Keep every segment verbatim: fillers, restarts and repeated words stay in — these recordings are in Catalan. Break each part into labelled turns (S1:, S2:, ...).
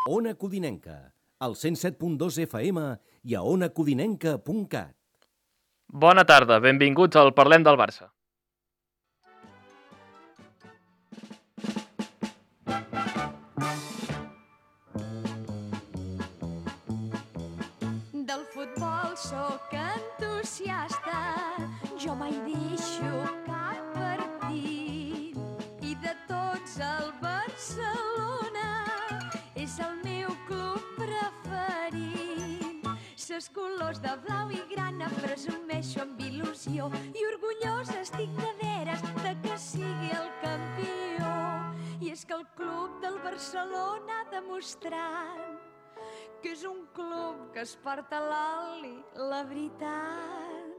S1: Ona Codinenca, al cent set punt dos F M i a ona codinenca punt cat.
S2: Bona tarda, benvinguts al Parlem del Barça.
S3: Del futbol sóc entusiasta, jo mai deixo cap partit. I de tots el Barcelona és el meu club preferit. Ses colors de blau i grana presumeixo amb il·lusió i orgullós estic de veres de que sigui el campió. I és que el club del Barcelona ha demostrat que és un club que es porta a l'oli, la veritat.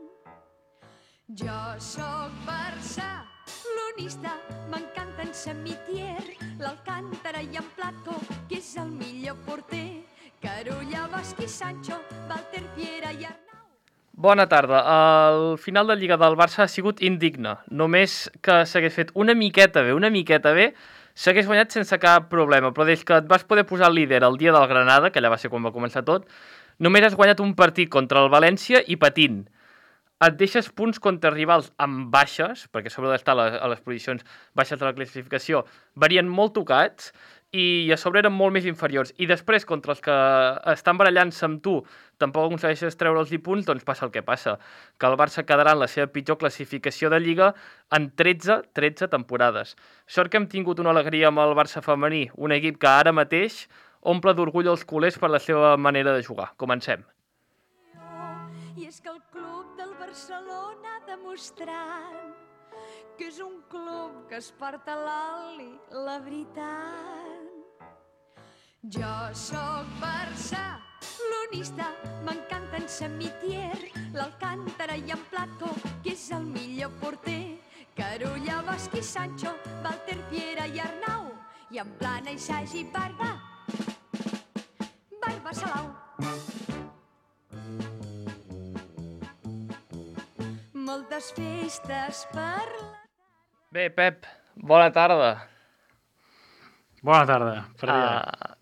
S3: Jo sóc barcelonista, m'encanta en Samitier, l'Alcántara i en Plató, que és el millor porter, Carulla, Bosch i Sancho, Walter Piera i Arnau.
S2: Bona tarda. El final de Lliga del Barça ha sigut indigne. Només que s'hagués fet una miqueta bé, una miqueta bé, s'hagués guanyat sense cap problema, però des que et vas poder posar líder el dia del Granada, que allà va ser quan va començar tot, només has guanyat un partit contra el València i patint. Et deixes punts contra rivals amb baixes, perquè sobre d'estar a les, a les posicions baixes de la classificació varien molt tocats, i a sobre eren molt més inferiors. I després, contra els que estan barallant-se amb tu, tampoc aconsegueixes treure'ls i punts, doncs passa el que passa, que el Barça quedarà en la seva pitjor classificació de Lliga en tretze, tretze temporades. Sort que hem tingut una alegria amb el Barça femení, un equip que ara mateix omple d'orgull els culers per la seva manera de jugar. Comencem.
S3: I és que el club del Barcelona ha demostrat que és un club que es porta a l'oli, la veritat. Jo sóc barcelonista, m'encanta en Samitier, l'Alcántara i en Plató, que és el millor porter, Carulla, Bosch i Sancho, Walter Piera i Arnau, i en Plana i Sagi Barba, Barba Salau. Moltes festes per la...
S2: Bé, Pep, bona tarda.
S4: Bona tarda. Per dia.
S2: Uh,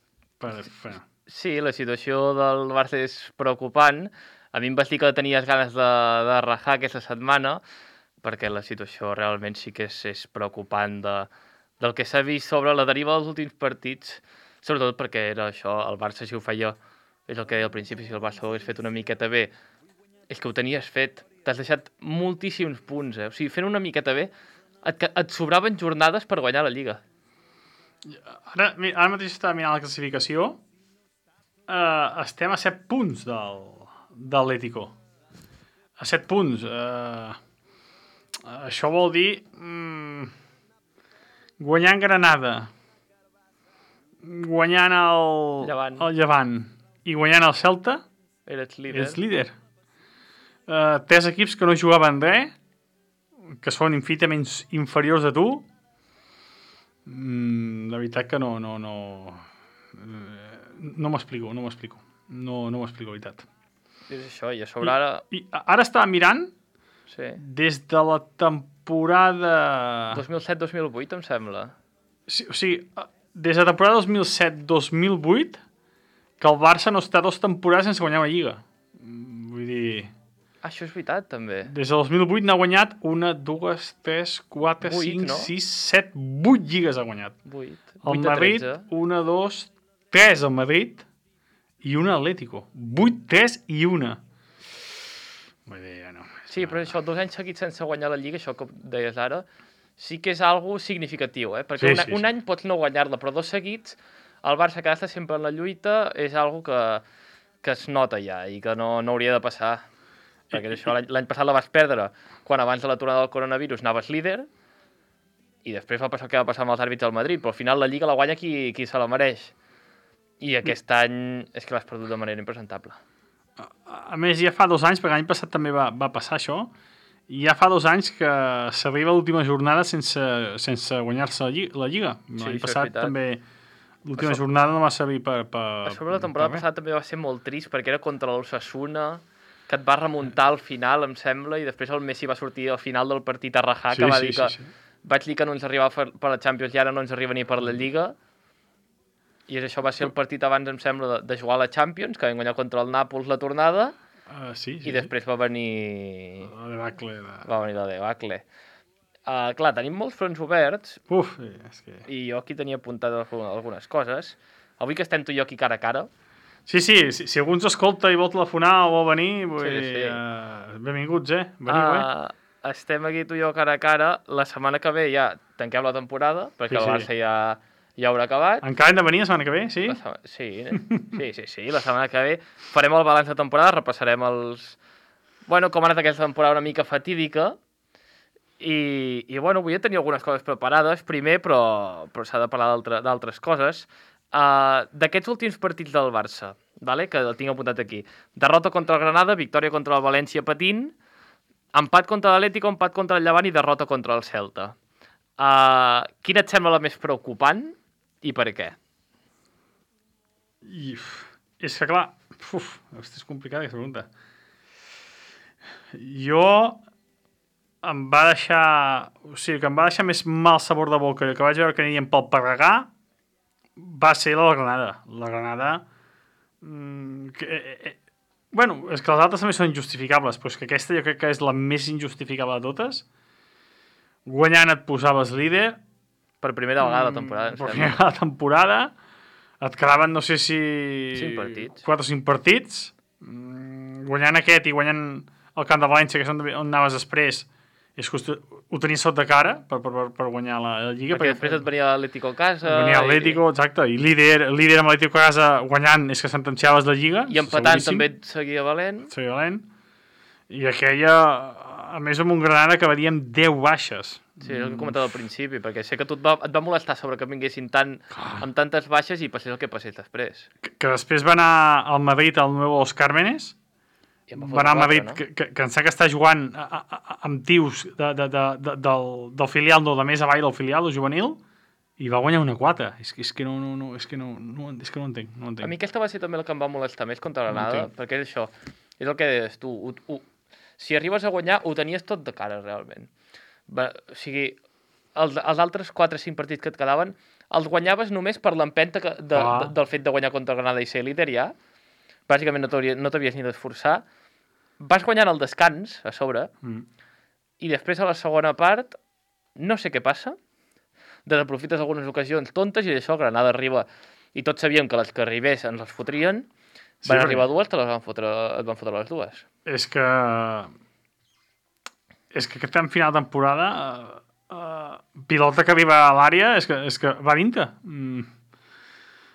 S4: per, per...
S2: sí, la situació del Barça és preocupant. A mi em vas dir que tenies ganes de, de rajar aquesta setmana, perquè la situació realment sí que és, és preocupant de, del que s'ha vist sobre la deriva dels últims partits, sobretot perquè era això, el Barça si ho feia, és el que deia al principi, si el Barça ho hagués fet una miqueta bé, és que ho tenies fet. T'has deixat moltíssims punts, eh? O sigui, fent una miqueta bé, et, et sobraven jornades per guanyar la Lliga.
S4: Ara, ara mateix estava mirant la classificació. Uh, estem a set punts del, de l'Atlético. A set punts. Uh, això vol dir um, guanyant Granada, guanyant el
S2: Llevant.
S4: el Llevant i guanyant el Celta,
S2: Eres líder.
S4: ets líder. Uh, tres equips que no jugaven res, que són infinitament inferiors a tu. Mm, la veritat que no no no no m'explico, no m'explico. No, no m'explico, la veritat.
S2: És això, i a sobre ara...
S4: I, i ara estava mirant
S2: Sí.
S4: des de la temporada...
S2: dos mil set dos mil vuit, em sembla.
S4: Sí, o sigui, des de la temporada dos mil set dos mil vuit que el Barça no està dos temporades sense guanyar una Lliga. Vull dir...
S2: Ah, això és veritat, també.
S4: Des de dos mil vuit n'ha guanyat una, dues, tres, quatre,
S2: Vuit,
S4: cinc,
S2: no?
S4: sis, set, vuit lligues ha guanyat.
S2: vuit.
S4: El
S2: vuit a
S4: Madrid,
S2: tretze.
S4: una, dos, tres al Madrid i una Atlético. Vuit, tres i una. Vull dir, ja no.
S2: Sí, però això, dos anys seguits sense guanyar la Lliga, això que deies ara, sí que és algo significatiu, eh? Perquè
S4: Sí,
S2: una,
S4: sí,
S2: un
S4: sí.
S2: any pots no guanyar-la, però dos seguits, el Barça que ha d'estar sempre en la lluita és algo que, que es nota ja i que no, no hauria de passar. Perquè això l'any l'any passat la vas perdre quan abans de l'aturada del coronavirus anaves líder i després va passar el que va passar amb els àrbits del Madrid, però al final la Lliga la guanya qui, qui se la mereix. I aquest any és que l'has perdut de manera impresentable.
S4: A, a més, ja fa dos anys, perquè l'any passat també va, va passar això, i ja fa dos anys que s'arriba a l'última jornada sense, sense guanyar-se la, lli la Lliga.
S2: Sí,
S4: L'any
S2: això és
S4: passat
S2: veritat.
S4: també l'última
S2: Això-
S4: jornada no va servir per... per
S2: A sobre la temporada
S4: per res.
S2: passada també va ser molt trist perquè era contra l'Osasuna, que et va remuntar al final, em sembla, i després el Messi va sortir al final del partit a rajar,
S4: Sí,
S2: que va
S4: sí,
S2: dir que
S4: sí, sí.
S2: vaig dir que no ens arribava per, per la Champions i ara no ens arriba ni per la Lliga. I això va ser el partit abans, em sembla, de, de jugar a la Champions, que vam guanyar contra el Nàpols la tornada,
S4: Uh, sí, sí,
S2: i després va venir...
S4: La debacle de...
S2: Va venir la debacle. Uh, clar, tenim molts fronts oberts,
S4: Uf, és que...
S2: i jo aquí tenia apuntat algunes coses. Avui que estem tu i jo aquí cara a cara,
S4: Sí, sí, si, si algú ens escolta i vol telefonar o vol venir, vull
S2: Sí,
S4: dir,
S2: sí.
S4: Uh, benvinguts, eh? Veniu, eh?
S2: uh, estem aquí tu i jo cara a cara. La setmana que ve ja tanquem la temporada, perquè
S4: Sí,
S2: el
S4: sí.
S2: Barça ja, ja haurà acabat.
S4: Encara hem de venir la setmana que ve, sí?
S2: La setmana... Sí, sí, sí, sí, la setmana que ve farem el balanç de temporada, repassarem els... Bueno, com ha anat aquesta temporada una mica fatídica, i, i bueno, avui ja tenia algunes coses preparades, primer, però, però s'ha de parlar d'altres coses. Uh, D'aquests últims partits del Barça, vale? Que el tinc apuntat aquí. Derrota contra el Granada, victòria contra el València patint, empat contra l'Atlético, empat contra el Llevant i derrota contra el Celta. Uh, quina et sembla la més preocupant i per què?
S4: I, uf, és que, clar, uf, hosti, és complicada aquesta pregunta. Jo em va deixar... O sigui, que em va deixar més mal sabor de boca que vaig veure que anien pel Parregà va ser la Granada. La Granada... Mm, que, eh, eh, bueno, és que les altres també són injustificables, però és que aquesta jo crec que és la més injustificable de totes. Guanyant et posaves líder.
S2: Per primera vegada la temporada, em
S4: Per
S2: sembla.
S4: primera vegada temporada. Et quedaven, no sé si...
S2: Cinc partits.
S4: Quatre o cinc partits. Mm, guanyant aquest i guanyant el Camp de València, que és on, on anaves després, és que ho tenies sot de cara per, per, per guanyar la, la Lliga.
S2: Perquè, perquè després et venia l'Atlético a casa...
S4: Venia l'Atlético, i... exacte, i líder, líder amb l'Atlético a casa guanyant és que sentenciaves la Lliga.
S2: I empatant
S4: seguríssim.
S2: també et seguia valent.
S4: Seguia valent. I aquella, a més amb un Granada que venia amb deu baixes.
S2: Sí, és el que he comentat al principi, perquè sé que tu et va, et va molestar sobre que vinguessin tant, amb tantes baixes i passés el que passés després.
S4: Que, que després va anar al Madrid, al nou Los Cármenes,
S2: I em
S4: va anar a
S2: fotre
S4: Madrid,
S2: quatre, no?
S4: que, que, que em sap que està jugant a, a, a, amb tios de, de, de, de, del, del filial, no, de més avall del filial, del juvenil, i va guanyar una quatre. És, és que no, no, no, és que no, no, és que no entenc, no entenc.
S2: A mi aquesta va ser també la que em va molestar més contra Granada,
S4: No
S2: perquè és això, és el que deies tu, ho, ho, si arribes a guanyar ho tenies tot de cara realment. Va, o sigui, els, els altres quatre o cinc partits que et quedaven els guanyaves només per l'empenta que- de,
S4: Ah.
S2: de, del fet de guanyar contra Granada i ser líder ja. Bàsicament no t'hauria- no t'havies ni d'esforçar. Vas guanyant el descans a sobre,
S4: Mm.
S2: i després a la segona part no sé què passa, desaprofites algunes ocasions tontes i d'això Granada arriba, i tots sabíem que les que arribés ens les fotrien.
S4: Sí,
S2: Van
S4: perquè-
S2: arribar dues, te les van fotre, et van fotre les dues.
S4: És que... És que aquest final de temporada, uh, uh, pilota que arriba a l'àrea, és que, és que va dintre. Mm.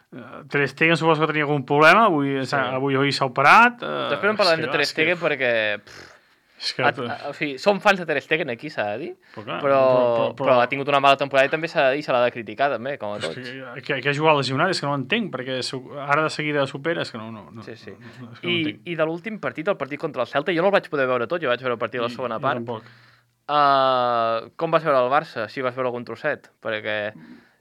S4: Uh, Ter Stegen suposo que tenia algun problema, avui
S2: Sí.
S4: avui, avui s'ha operat. Uh,
S2: Després en parlarem
S4: és
S2: de
S4: que,
S2: Ter
S4: és que-
S2: Stegen perquè... Pff,
S4: És que,
S2: a, a, o sigui, som fans de Ter Stegen aquí, s'ha de dir,
S4: però, clar,
S2: però, però, però, ha tingut una mala temporada i també s'ha de dir, se l'ha de criticar també, com a
S4: és
S2: tots.
S4: que, que, que ha jugat lesionat, és que no ho entenc, perquè su- ara de seguida supera, és que no, no, no,
S2: Sí, sí.
S4: no, no, és que no
S2: I,
S4: ho entenc.
S2: I de l'últim partit, el partit contra el Celta, jo no el vaig poder veure tot, jo vaig veure el partit de la segona
S4: I- i
S2: part.
S4: tampoc.
S2: Uh, com vas veure el Barça, si vas veure algun trosset? Perquè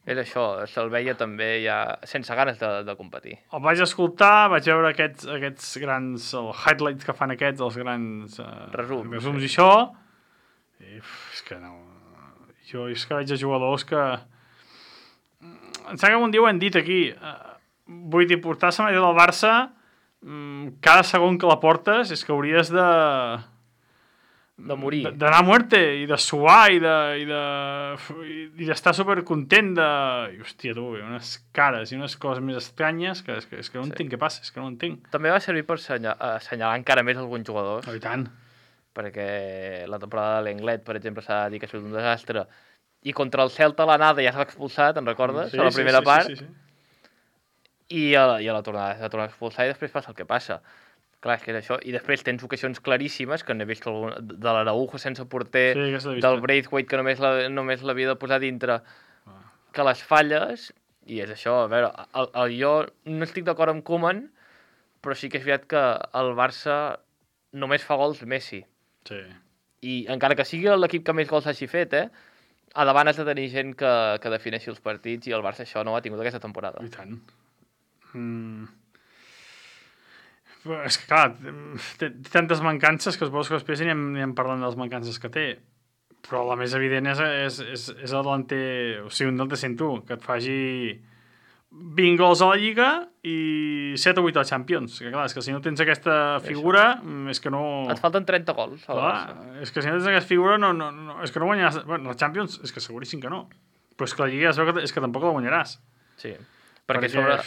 S2: és això, se'l veia també ja sense ganes de, de competir.
S4: El vaig escoltar, vaig veure aquests, aquests grans el highlights que fan aquests, els grans uh,
S2: Resums.
S4: resums i això, i uf, és que no... Jo és que veig a jugadors que... Em sembla que un dia ho hem dit aquí, uh, vull dir, portar la samarreta del Barça, um, cada segon que la portes és que hauries de...
S2: De morir.
S4: D'anar a muerte i de suar i de i de i d'estar supercontent de... I, hòstia, tu, i unes cares i unes coses més estranyes que és que, és que no
S2: Sí.
S4: entenc què passa, és que no entenc.
S2: També va servir per assenyalar, assenyalar encara més alguns jugadors,
S4: Oh, i tant.
S2: perquè la temporada de l'Englet, per exemple, s'ha de dir que ha sigut un desastre, i contra el Celta a l'anada ja s'ha expulsat, te'n recordes?
S4: Sí,
S2: a la
S4: sí,
S2: primera
S4: sí,
S2: part,
S4: sí, sí, sí.
S2: i a la, i a la tornada s'ha tornat a expulsar i després passa el que passa. Clar, és que és això. I després tens ocasions claríssimes, que n'he vist algun, de l'Araujo sense porter,
S4: Sí, aquesta l'he vista.
S2: del Braithwaite, que només la- només l'havia de posar dintre, que les falles, i és això, a veure, el, el, jo no estic d'acord amb Koeman, però sí que és veritat que el Barça només fa gols Messi.
S4: Sí.
S2: I encara que sigui l'equip que més gols hagi fet, eh, a davant has de tenir gent que, que defineixi els partits, i el Barça això no ho ha tingut aquesta temporada.
S4: I tant. Mm. Però és que, clar, té, té tantes mancances que suposo que després anirem, anirem parlant de les mancances que té. Però la més evident és, és, és, és el delanter, o sigui, un delanter sent tu, que et faci vint gols a la Lliga i set o vuit a la Champions. Que clar, és que si no tens aquesta figura, mm, és que no...
S2: Et falten trenta gols. al
S4: Clar,
S2: Barça.
S4: és que si no tens aquesta figura, no, no, no, és que no guanyaràs... Bueno, la Champions és que seguríssim que no. Però és que la Lliga es veu que, és que tampoc la guanyaràs.
S2: Sí, perquè,
S4: Perquè-
S2: sobre...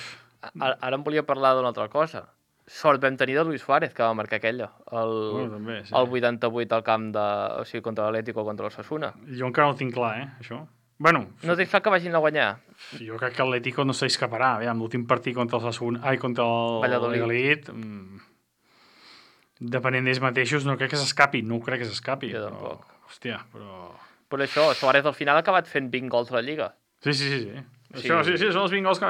S2: Ara, ara em volia parlar d'una altra cosa. Sort vam tenir de Luis Suárez, que va marcar aquella. El,
S4: Bueno, també, sí.
S2: el vuitanta-vuit al camp de... O sigui, contra l'Atlético o contra l'Osasuna.
S4: Jo encara no ho tinc clar, eh, això. Bueno,
S2: No tens clar que vagin a guanyar?
S4: jo crec que l'Atlético no s'escaparà. Aviam, l'últim partit contra el Sassuolo, ai, contra el
S2: Valladolid.
S4: Valladolid, mm, depenent d'ells mateixos, no crec que s'escapi. No crec que s'escapi.
S2: Jo
S4: però,
S2: tampoc.
S4: Hòstia, però...
S2: Per això, Suárez al final ha acabat fent vint gols a la Lliga.
S4: Sí, sí, sí. sí.
S2: Sí.
S4: Això, sí, sí, són els vint gols que,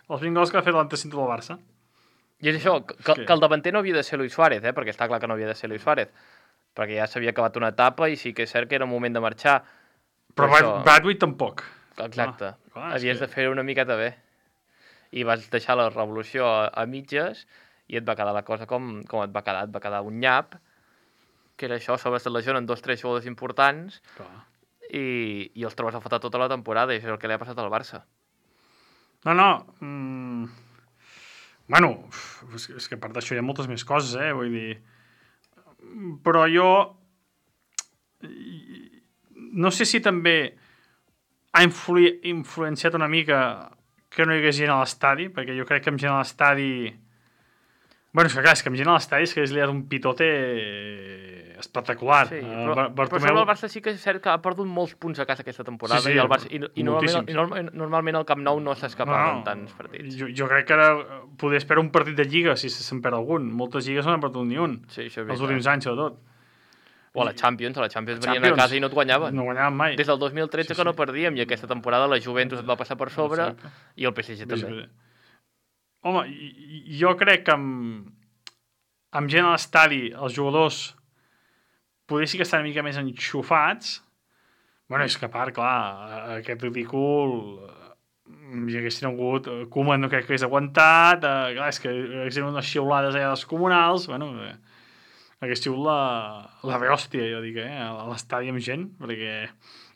S4: els vint gols que ha fet l'antecinte del Barça.
S2: I és això, que,
S4: que-
S2: que el davanter no havia de ser Luis Suárez, eh? Perquè està clar que no havia de ser Luis Suárez. Perquè ja s'havia acabat una etapa i sí que és cert que era un moment de marxar.
S4: Però
S2: Per
S4: Brad,
S2: això-
S4: Bradway tampoc.
S2: Exacte.
S4: Clar, clar, és
S2: Havies
S4: que-
S2: de fer una miqueta bé. I vas deixar la revolució a, a mitges i et va quedar la cosa com, com et va quedar. Et va quedar un nyap, que era això, sobre se lesionen dos tres jugadors importants
S4: Clar.
S2: i, i els trobes a faltar tota la temporada i això és el que li ha passat al Barça.
S4: No, no. Mm... Bueno, és, és que a part d'això hi ha moltes més coses, eh? Vull dir... Però jo... No sé si també ha influ... influenciat una mica que no hi hagués gent a l'estadi, perquè jo crec que amb gent a l'estadi... Bueno, és que clar, és que amb gent a l'estadi és que és liat un pitote espectacular.
S2: Sí,
S4: Eh,
S2: però,
S4: Bar-
S2: però sobre el Barça sí que és cert que ha perdut molts punts a casa aquesta temporada
S4: Sí, sí,
S2: i, el Barça, i, i, normalment,
S4: moltíssims.
S2: i normal, normalment el Camp Nou no s'escapava en tants partits.
S4: Jo, jo crec que ara poder esperar un partit de Lliga si se'n perd algun. Moltes lligues no n'han perdut ni un.
S2: Sí, això és
S4: Els
S2: veritat.
S4: últims anys, sobretot.
S2: O a la Champions, a la Champions venien
S4: Champions.
S2: a casa i no et guanyaven.
S4: No guanyaven mai.
S2: Des del dos mil tretze
S4: Sí,
S2: que
S4: sí.
S2: no perdíem i aquesta temporada la Juventus et va passar per sobre
S4: Exacte.
S2: i el P S G també.
S4: Home, i- i- jo crec que amb, amb gent a l'estadi, els jugadors poder sí que estan una mica més enxufats. Bueno, és que a part, clar, aquest ridícul hi haguessin hagut eh, Koeman no crec que hagués aguantat, eh, clar, és que haguessin unes xiulades allà dels comunals, bueno, eh, hagués sigut la, la rehòstia, jo dic, eh, a l'estadi amb gent, perquè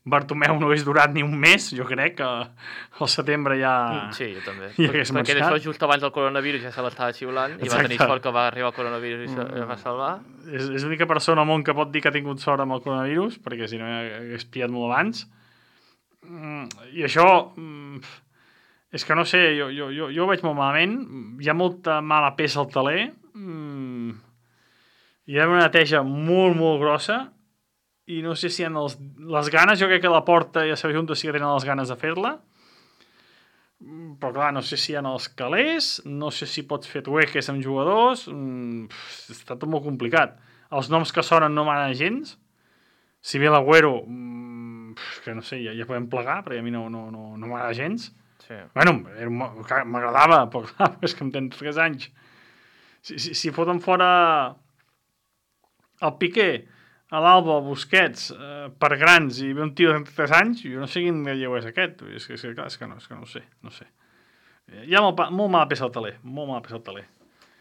S4: Bartomeu no hagués durat ni un mes, jo crec que al setembre ja...
S2: Mm, Sí, jo també.
S4: I
S2: Per,
S4: hagués
S2: perquè
S4: marxat.
S2: això just abans del coronavirus ja se l'estava xiulant i va
S4: Exacte.
S2: tenir sort que va arribar el coronavirus i se
S4: Mm.
S2: es va salvar.
S4: És, és l'única persona al món que pot dir que ha tingut sort amb el coronavirus, perquè si no hagués pillat molt abans. Mm, I això, mm, és que no sé, jo, jo, jo, jo ho veig molt malament. Hi ha molta mala peça al taler. Mm, hi ha una neteja molt, molt grossa i no sé si en els, les ganes, jo crec que la Porta i la seva junta sí que tenen les ganes de fer-la. Mm, Però clar, no sé si en els calés, no sé si pots fer tueques amb jugadors, mm, pff, està tot molt complicat. Els noms que sonen no m'agraden gens. Si ve l'Agüero, mm, pff, que no sé, ja, ja podem plegar, perquè a mi no, no, no, no m'agrada gens.
S2: Sí.
S4: Bueno, era un- clar, m'agradava, però clar, és que em tens tres anys. Si, si, si foten fora el Piqué, a l'Alba, el Busquets, eh, per grans, i ve un tio de trenta-tres anys, jo no sé quin lleu és aquest. És que, és que, clar, és que, no, és que no ho sé, no ho sé. Hi ha molt, pa- molt mala peça al taler, molt mala peça al taler.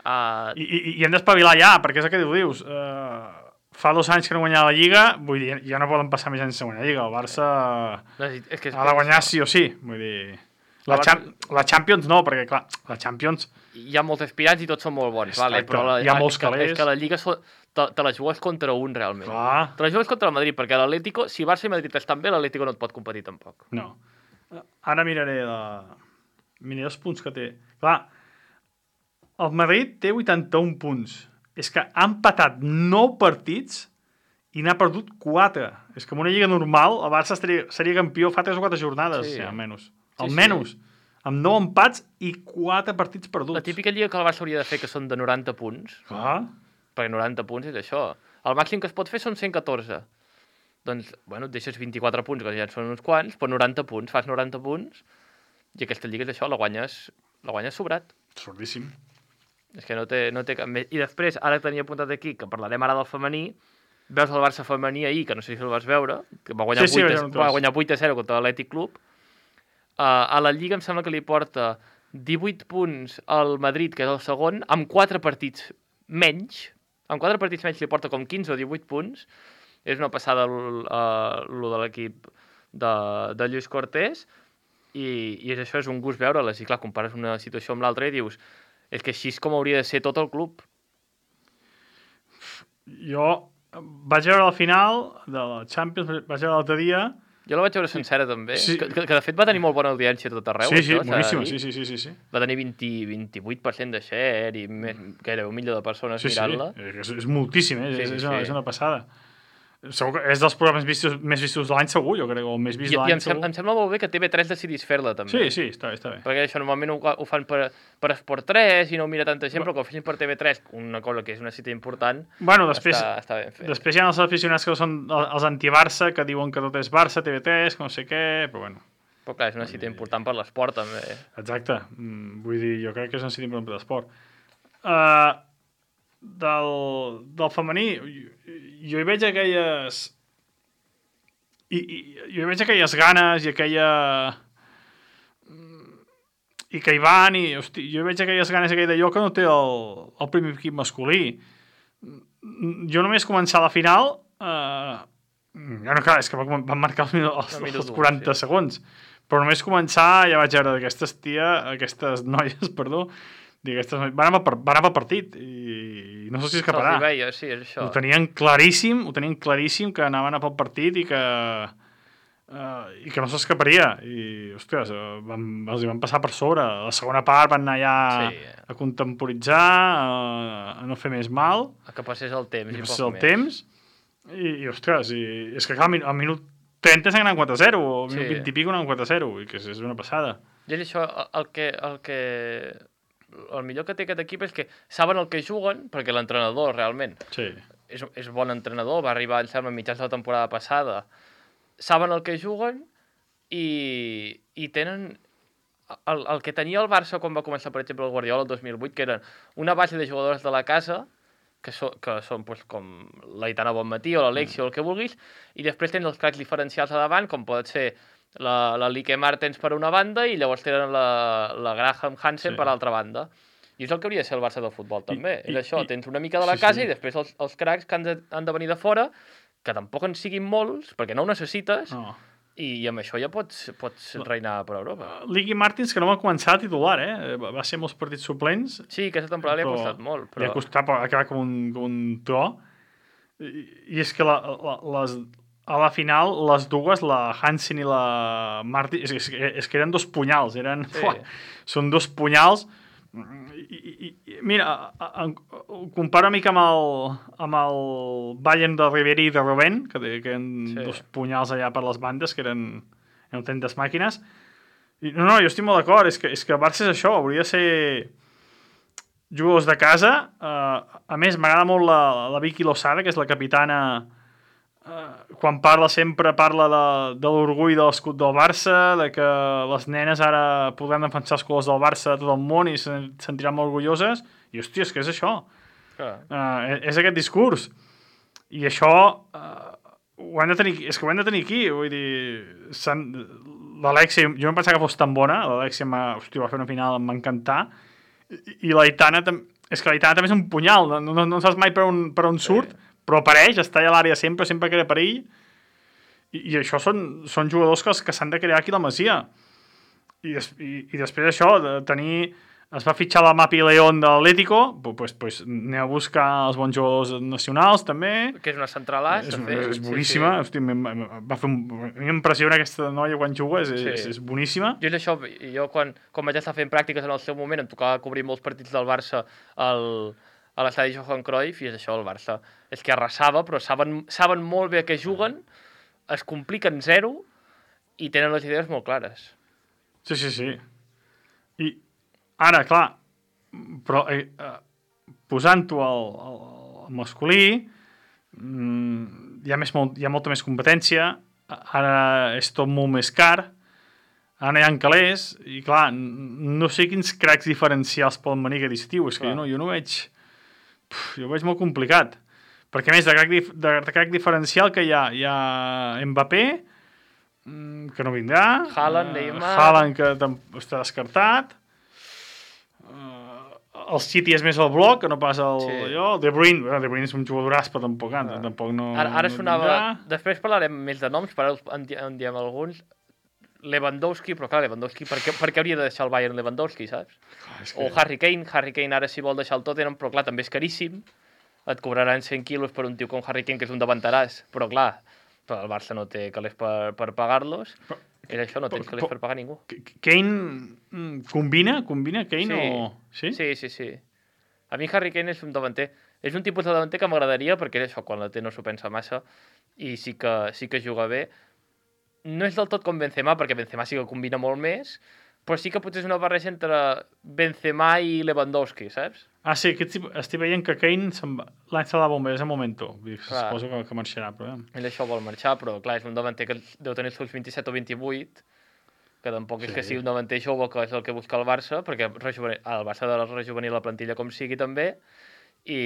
S2: Uh,
S4: I, i, i hem d'espavilar ja, perquè és el que tu dius. Uh, fa dos anys que no guanyava la Lliga, vull dir, ja no poden passar més anys sense guanyar la Lliga. El Barça
S2: necessit- és que és
S4: ha de guanyar sí o sí. Vull dir, la,
S2: El Barça-
S4: Cham la Champions no, perquè clar, la Champions...
S2: hi ha molts aspirants i tots són molt bons, vale?
S4: Exacte.
S2: Però la,
S4: Hi ha molts
S2: és que,
S4: calés.
S2: és que la Lliga so, te, te la jugues contra un, realment.
S4: Clar,
S2: Te la jugues contra el Madrid, perquè l'Atlético, si Barça i Madrid estan bé, l'Atlético no et pot competir tampoc.
S4: no. Uh, Ara miraré la... miraré els punts que té. Clar, el Madrid té vuitanta-un punts. És que ha empatat nou partits i n'ha perdut quatre. És que en una lliga normal el Barça estaria, seria campió fa tres o quatre jornades,
S2: Sí.
S4: sí, almenys.
S2: Sí,
S4: Almenys.
S2: sí.
S4: Amb nou empats i quatre partits perduts.
S2: La típica lliga que el Barça hauria de fer, que són de noranta punts,
S4: Clar.
S2: perquè noranta punts és això. El màxim que es pot fer són cent catorze. Doncs, bueno, et deixes vint-i-quatre punts, que ja en són uns quants, però noranta punts, fas noranta punts, i aquesta lliga és això, la guanyes, la guanyes sobrat.
S4: Sordíssim.
S2: És que no té, no té cap més. I després, ara tenia apuntat aquí, que parlarem ara del femení, veus el Barça femení ahir, que no sé si el vas veure, que va guanyar,
S4: Sí, sí,
S2: vuit,
S4: vaig
S2: a,
S4: veure un
S2: va
S4: tros.
S2: guanyar vuit a zero contra l'Atlètic Club. Uh, a la Lliga em sembla que li porta divuit punts al Madrid, que és el segon, amb quatre partits menys. Amb quatre partits menys li porta com quinze o divuit punts. És una passada l- uh, lo de l'equip de, de Lluís Cortés. i, i és això, és un gust veure-les, i clar, compares una situació amb l'altra i dius, és que així és com hauria de ser tot el club.
S4: Jo vaig veure al final de la Champions, vaig veure l'altre dia...
S2: Jo la vaig veure sencera, també,
S4: Sí.
S2: que, que, que de fet va tenir molt bona audiència a tot arreu.
S4: Sí, sí,
S2: això, s'ha de
S4: boníssima,
S2: dir.
S4: sí, sí, sí, sí, sí.
S2: Va tenir vint, vint-i-vuit per cent de share i més, gairebé un milió de persones
S4: Sí, sí,
S2: mirant-la.
S4: és, és moltíssim, eh?
S2: Sí,
S4: és,
S2: sí,
S4: és, una,
S2: sí.
S4: és una passada. Segur que és dels programes vistos, més vistos de l'any, segur, jo crec, o el més vist
S2: I,
S4: de
S2: i
S4: l'any,
S2: em, sem
S4: segur.
S2: em sembla molt bé que T V tres decidís fer-la, també.
S4: Sí, sí, està bé, està bé.
S2: Perquè això normalment ho, ho fan per, per Esport tres i no ho mira tanta gent, però que ho fessin per T V tres, una cosa que és una cita important,
S4: Bueno, després,
S2: està, està ben fet.
S4: després hi ha els aficionats que són els anti-Barça, que diuen que tot és Barça, T V tres, que no sé què, però bueno.
S2: Però clar, és una cita important per l'esport, també.
S4: Exacte. Mm, vull dir, jo crec que és un cita important per l'esport. Uh, del, del femení, jo, jo hi veig aquelles... I, i, jo hi veig aquelles ganes i aquella... I que hi van i, hosti, jo hi veig aquelles ganes i aquell d'allò que no té el, el primer equip masculí. Jo només començar la final... Eh, ja no, clar, és que van marcar els, els,
S2: El minut
S4: els
S2: u,
S4: quaranta
S2: sí.
S4: segons. Però només començar ja vaig veure d'aquestes tia, aquestes noies, perdó, i aquestes noies, van anar per, van anar per partit i no sé si escaparà.
S2: Se'ls hi veia, sí, és això.
S4: Ho tenien claríssim, ho tenien claríssim que anaven a pel partit i que uh, i que no s'escaparia i, ostres, uh, van, els hi van passar per sobre. A la segona part van anar ja
S2: Sí.
S4: a contemporitzar, a, a no fer més mal,
S2: Que passés el temps
S4: i
S2: i
S4: passar
S2: poc
S4: el
S2: més.
S4: temps i, i ostres, i, és que clar, al min- al minut trenta s'han anat quatre a zero, o al minut
S2: Sí.
S4: vint i pico anat quatre a zero, i que és, és una passada.
S2: I és això, el que, el que... El millor que té aquest equip és que saben el que juguen, perquè l'entrenador realment
S4: Sí.
S2: és, és bon entrenador, va arribar, em sembla, a mitjans de la temporada passada. Saben el que juguen i, i tenen el, el que tenia el Barça quan va començar, per exemple, el Guardiola el dos mil vuit, que eren una base de jugadors de la casa, que, so, que són pues, com l'Aitana Bonmatí o l'Alexia o el que vulguis, i després tens els cracs diferencials a davant, com pot ser la, la Lique Martens per una banda i llavors tenen la, la Graham Hansen
S4: Sí.
S2: per l'altra banda. I és el que hauria de ser el Barça del futbol, també.
S4: I-
S2: és això,
S4: i-
S2: tens una mica de la
S4: sí,
S2: casa
S4: sí.
S2: i després els, els cracs que han de, han de venir de fora, que tampoc en siguin molts, perquè no ho necessites,
S4: No.
S2: i, i amb això ja pots, pots reinar per Europa.
S4: Liqui Martins, que no va començar a titular, eh? Va va ser molts partits suplents,
S2: Sí, aquesta temporada li ha
S4: però
S2: costat molt,
S4: li
S2: però...
S4: ha costat per acabar com un, com un tro. I, i és que la, la, les, a la final, les dues, la Hansen i la Martin, és, és, és que eren dos punyals, eren...
S2: Sí.
S4: Fuà, són dos punyals. I, i, i, mira, a, a, ho comparo una mica amb el, amb el Bayern de Ribéry i de Robben, que, té- que eren
S2: Sí.
S4: dos punyals allà per les bandes, que eren, eren autèntiques màquines. I, no, no, jo estic molt d'acord, és que, és que el Barça és això, hauria de ser jugadors de casa. Uh, a més, m'agrada molt la, la Vicky Losada, que és la capitana, uh, quan parla sempre parla de, de l'orgull de l'escut del Barça, de que les nenes ara podran defensar els colors del Barça a tot el món i se sentiran molt orgulloses. I, hòstia, és que és això.
S2: Clar.
S4: Uh, és aquest discurs. I això uh, ho hem de tenir, és que ho hem de tenir aquí. Vull dir, s'han- l'Alexia, jo no pensava que fos tan bona, l'Alexia m'ha- hòstia, va fer una final, em va encantar. I, i l'Aitana tam- és que l'Aitana també és un punyal, no, no, no saps mai per on, per on surt, però apareix, està allà a l'àrea sempre, sempre crea perill. I, i això són, són jugadors que, que s'han de crear aquí a la Masia. I, des, i, i després això, de tenir... Es va fitxar la Mapi León de l'Atlético, pues, pues, anem a buscar els bons jugadors nacionals, també.
S2: Que és una centralàs,
S4: És,
S2: de fet.
S4: és boníssima. Sí, sí. Hosti, m- m- va fer un, a mi m'impressiona aquesta noia quan juga, és,
S2: Sí.
S4: és, és boníssima.
S2: Jo és això, jo quan, quan vaig estar fent pràctiques en el seu moment em tocava cobrir molts partits del Barça al, a l'estadi Johan Cruyff i és això, el Barça. És que arrasava, però saben, saben molt bé a què juguen, es compliquen zero i tenen les idees molt clares.
S4: Sí, sí, sí. I ara, clar, però eh, eh, posant-ho al, al, al masculí, mm, hi, ha més, molt, hi ha molta més competència, ara és tot molt més car, ara no hi ha calés, i clar, n- no sé quins cracs diferencials poden venir aquest estiu, és que
S2: Clar.
S4: jo no, jo no veig... Puf, jo ho veig molt complicat. Perquè a més, de crac, dif de, de crac diferencial que hi ha, hi ha Mbappé, mm, que no vindrà,
S2: Haaland,
S4: eh,
S2: Neymar.
S4: Haaland, que tam- està descartat, uh, el City és més el bloc, que no pas el...
S2: Sí.
S4: allò. De Bruyne, bueno, De Bruyne és un jugadoràs, però tampoc, ah. tampoc no...
S2: Ara, ara
S4: no
S2: sonava...
S4: vindrà.
S2: Després parlarem més de noms, però ara en, di- en diem alguns. Lewandowski, però clar, Lewandowski, per què, per què hauria de deixar el Bayern Lewandowski, saps?
S4: Clar, és
S2: Que... O Harry Kane, Harry Kane ara si vol deixar el Tottenham, però clar, també és caríssim, et cobraran cent quilos per un tio com Harry Kane, que és un davanteràs, però clar, però el Barça no té calés per, per pagar-los, però, és això, no tens calés per pagar ningú.
S4: Kane combina? Combina Kane
S2: sí.
S4: o...? Sí?
S2: Sí, sí, sí. A mi Harry Kane és un davanter, és un tipus de davanter que m'agradaria, perquè és això, quan la té no s'ho pensa massa, i sí que, sí que juga bé. No és del tot com Benzema, perquè Benzema sí que combina molt més, però sí que potser és una barreja entre Benzema i Lewandowski, saps?
S4: Ah, sí, aquest, estic veient que Kane l'any se la bomba, és el momento. Suposo que, que marxarà, però...
S2: Ell això vol marxar, però clar, és un davanter que deu tenir els seus vint-i-set o vint-i-vuit, que tampoc sí. és que sigui un davanter jove, que és el que busca el Barça, perquè el Barça ha de rejuvenir la plantilla com sigui també, i,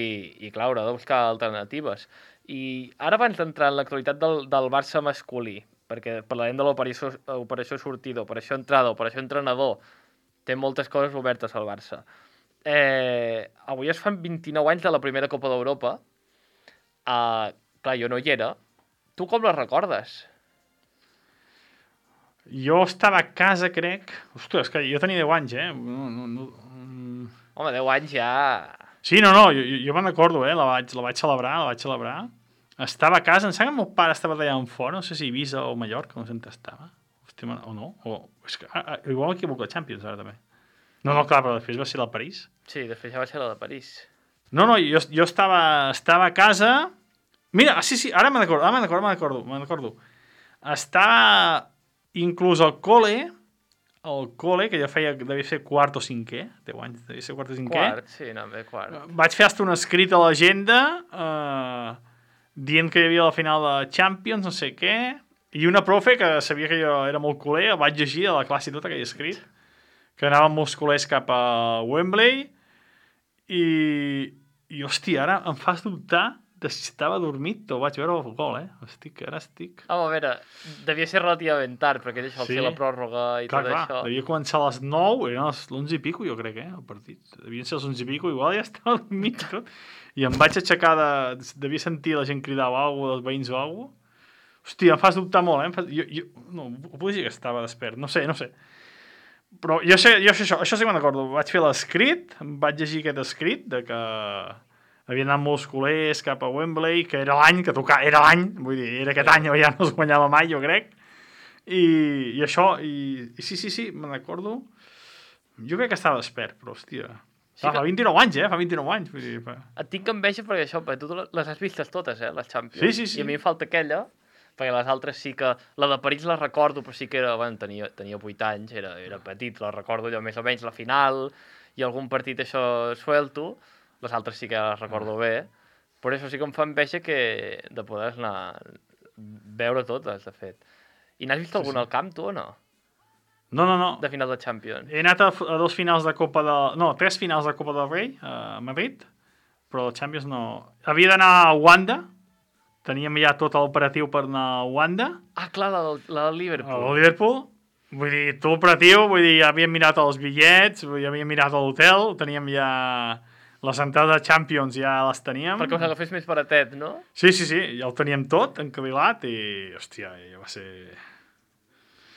S2: i clar, haurà de buscar alternatives. I ara abans d'entrar en l'actualitat del, del Barça masculí, perquè parlarem de l'operació operació sortida, operació entrada, operació entrenador, té moltes coses obertes al Barça. Eh, avui es fan vint-i-nou anys de la primera Copa d'Europa. Uh, clar, jo no hi era. Tu com la recordes?
S4: Jo estava a casa, crec... Ostres, que jo tenia deu anys, eh? No, no, no...
S2: Home, deu anys ja...
S4: Sí, no, no, jo, jo me'n recordo, eh? La vaig, la vaig celebrar, la vaig celebrar. Estava a casa, em sembla que el meu pare estava allà en fora, no sé si Ibiza o Mallorca, no sé on estava. Hòstia, o no, o... És que, ah, igual m'equivoco, la Champions, ara també. No, no, clar, però després va ser la París.
S2: Sí, després ja va ser la de París.
S4: No, no, jo, jo estava, estava a casa... Mira, sí, sí, ara me'n recordo, ara me'n recordo, me'n recordo, me'n recordo. Estava inclús al col·le, al col·le, que jo feia, devia ser quart o cinquè, deu anys, devia ser quart o cinquè.
S2: Quart, sí, no, bé, quart.
S4: Vaig fer hasta un escrit a l'agenda, eh, dient que hi havia la final de Champions, no sé què, i una profe que sabia que jo era molt culer, el vaig llegir a la classe i tot aquell escrit, que anàvem molts culers cap a Wembley, i, i hòstia, ara em fas dubtar de si estava dormit o vaig veure el gol, eh? Estic, ara estic...
S2: Home, a veure, devia ser relativament tard, perquè això, sí. Fer la pròrroga i clar, tot clar, això...
S4: Devia començar a les nou, eren les onze i pico, jo crec, eh, el partit. Devien ser les onze i pico, igual ja estava dormit tot. I em vaig aixecar de... Devia sentir la gent cridar o alguna cosa, dels veïns o alguna cosa. Hòstia, em fas dubtar molt, eh? Em fas... Jo, jo... No, vull dir que estava despert, no sé, no sé. Però jo sé, jo sé això, això sí que me'n recordo. Vaig fer l'escrit, em vaig llegir aquest escrit de que havien anat molts culers cap a Wembley, que era l'any que tocava, era l'any, vull dir, era aquest any, ja no es guanyava mai, jo crec. I, i això, i, i sí, sí, sí, me'n recordo. Jo crec que estava despert, però, hòstia... Sí que... Fa vint-i-nou anys, eh? Fa vint-i-nou anys. Vull dir, fa...
S2: Et tinc enveja perquè això, perquè tu les has vistes totes, eh, les Champions.
S4: Sí, sí, sí.
S2: I a mi em falta aquella, perquè les altres sí que... La de París la recordo, però sí que era... Bueno, tenia, tenia vuit anys, era, era petit, la recordo allò més o menys, la final, i algun partit això suelto. Les altres sí que les recordo bé. Per això sí que em fa enveja que de poder anar veure totes, de fet. I n'has vist algun sí, sí. al camp, tu, o no?
S4: No, no, no.
S2: De final de Champions.
S4: He anat a, a dos finals de Copa de... No, tres finals de Copa del Rei, a Madrid, però el Champions no... Havia d'anar a Wanda, teníem ja tot l'operatiu per anar a Wanda.
S2: Ah, clar, la del, la del Liverpool.
S4: La del Liverpool. Vull dir, tot l'operatiu, vull dir, ja havíem mirat els bitllets, vull dir, havíem mirat l'hotel, teníem ja... Les entrades de Champions ja les teníem.
S2: Perquè us agafés més baratet, no?
S4: Sí, sí, sí, ja ho teníem tot encavilat i, hòstia, ja va ser...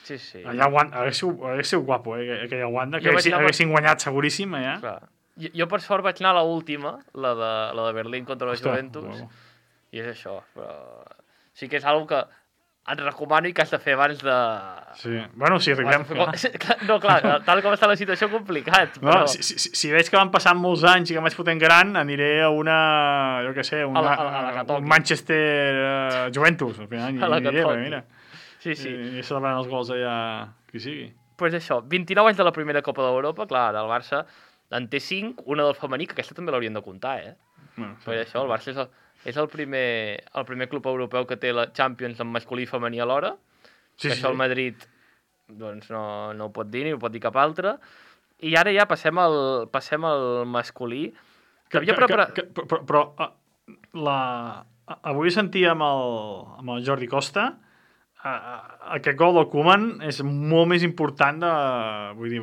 S2: Sí, sí.
S4: Allà haguéssiu, haguéssiu guapo, eh, aquella Wanda, que haguessin, haguessin guanyat seguríssim, allà.
S2: Clar. Jo, jo, per sort, vaig anar a l'última, la, de, la de Berlín contra la
S4: Ostres,
S2: Juventus,
S4: bueno.
S2: I és això, però... Sí que és una que et recomano i que has de fer abans de...
S4: Sí, bueno, si arribem...
S2: No, clar, tal com està la situació, complicat, però...
S4: No, si, si, si veig que van passant molts anys i que em vaig fotent gran, aniré a una, jo què sé, una,
S2: a la, a la, a la
S4: un Manchester uh, Juventus, al final,
S2: a la
S4: aniré, perquè mira...
S2: Sí, sí.
S4: I, i celebrant els gols allà, qui sigui.
S2: Doncs pues això, vint-i-nou anys de la primera Copa d'Europa, clar, el Barça en té cinc, una del femení, que aquesta també l'haurien de comptar, eh? Bueno, sí, pues això, el Barça és el, és el, primer, el primer club europeu que té la Champions en masculí i femení alhora, sí, que sí, això el Madrid doncs, no, no ho pot dir ni ho pot dir cap altre, i ara ja passem al, passem al masculí, que, que havia preparat...
S4: Que, que, però, però la... avui sentia amb el, amb el Jordi Costa... aquest gol del Koeman és molt més important de... Vull dir...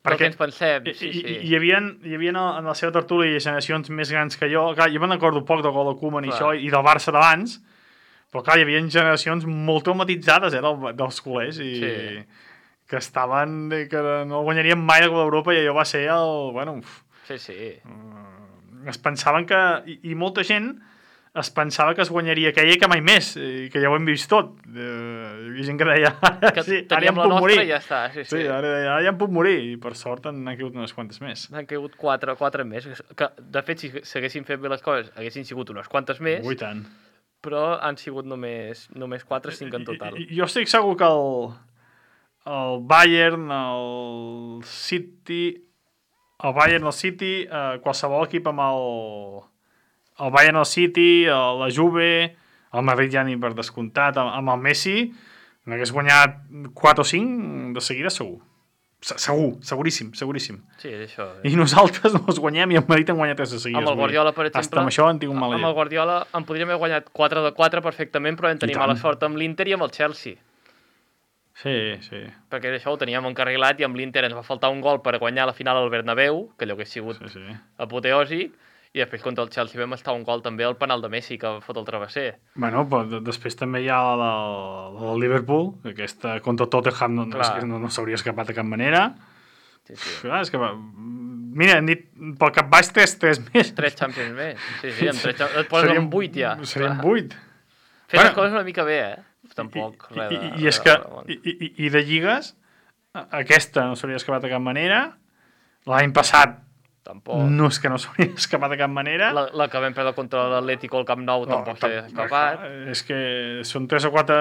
S2: Perquè ens pensem, sí, sí.
S4: Hi, hi, havia, hi havia en la seva tertúlia generacions més grans que jo. Clar, jo me'n recordo poc del gol del Koeman i això, i del Barça d'abans, Però clar, hi havia generacions molt traumatitzades eh, del, dels culers i
S2: Sí.
S4: que estaven, que no guanyarien mai la Copa d'Europa i allò va ser el... Bueno, uf,
S2: Sí, sí.
S4: es pensaven que... I, i molta gent es pensava que es guanyaria aquella i que mai més, i que ja ho hem vist tot. Eh, hi havia gent que deia, ara,
S2: Que
S4: sí, ara ja
S2: teníem
S4: em
S2: la
S4: puc
S2: nostra
S4: morir.
S2: i ja està. Sí, sí.
S4: Sí, ara, ara ja em puc morir, i per sort en han caigut unes quantes més.
S2: Han caigut quatre, quatre més. Que, de fet, si s'haguessin fet bé les coses, haguessin sigut unes quantes més,
S4: Ui, tant.
S2: però han sigut només, només quatre, cinc en total.
S4: I, i, jo estic segur que el, el Bayern, el City, el Bayern, el City, eh, qualsevol equip amb el, el Bayern, el City, el, la Juve, el Madrid ja ni per descomptat, amb, amb el Messi, n'hagués guanyat quatre o cinc de seguida segur. Se- Segur, seguríssim, seguríssim.
S2: Sí, és això. Eh?
S4: I nosaltres no els guanyem i el Madrid en guanya tres de seguida.
S2: Amb el Guardiola, per exemple...
S4: Hasta amb això en tinc un mal
S2: Amb el Guardiola en podríem haver guanyat quatre de quatre perfectament, però vam tenir
S4: tant.
S2: mala sort amb l'Inter i amb el Chelsea.
S4: Sí, sí.
S2: Perquè això ho teníem encarrilat i amb l'Inter ens va faltar un gol per guanyar la final al Bernabéu, que allò hagués sigut
S4: sí, sí.
S2: apoteòsic, i després contra el Chelsea vam estar un gol també al penal de Messi que fot el travesser.
S4: Bueno, però de- després també hi ha la del, la del Liverpool, que aquesta contra el Tottenham no, no,
S2: Clar.
S4: no, no s'hauria escapat de cap manera.
S2: Sí, sí.
S4: Clar, és que, va- mira, hem dit pel cap baix tres, tres més.
S2: Tres Champions més. Sí, sí, amb tres Champions... Et poses
S4: Serien-
S2: amb vuit ja.
S4: Serien
S2: Clar.
S4: vuit.
S2: Fes
S4: Bueno.
S2: les coses una mica bé, eh? Tampoc
S4: I,
S2: res
S4: i,
S2: de...
S4: i, i és
S2: res
S4: que,
S2: de bon.
S4: i, i, i de lligues, a- aquesta no s'hauria escapat de cap manera. L'any passat
S2: Tampoc.
S4: no és que no s'hauria escapat de cap manera.
S2: La, la que vam perdre contra l'Atlético al Camp Nou
S4: No,
S2: tampoc
S4: tam-
S2: s'ha escapat.
S4: clar, És que són tres o quatre...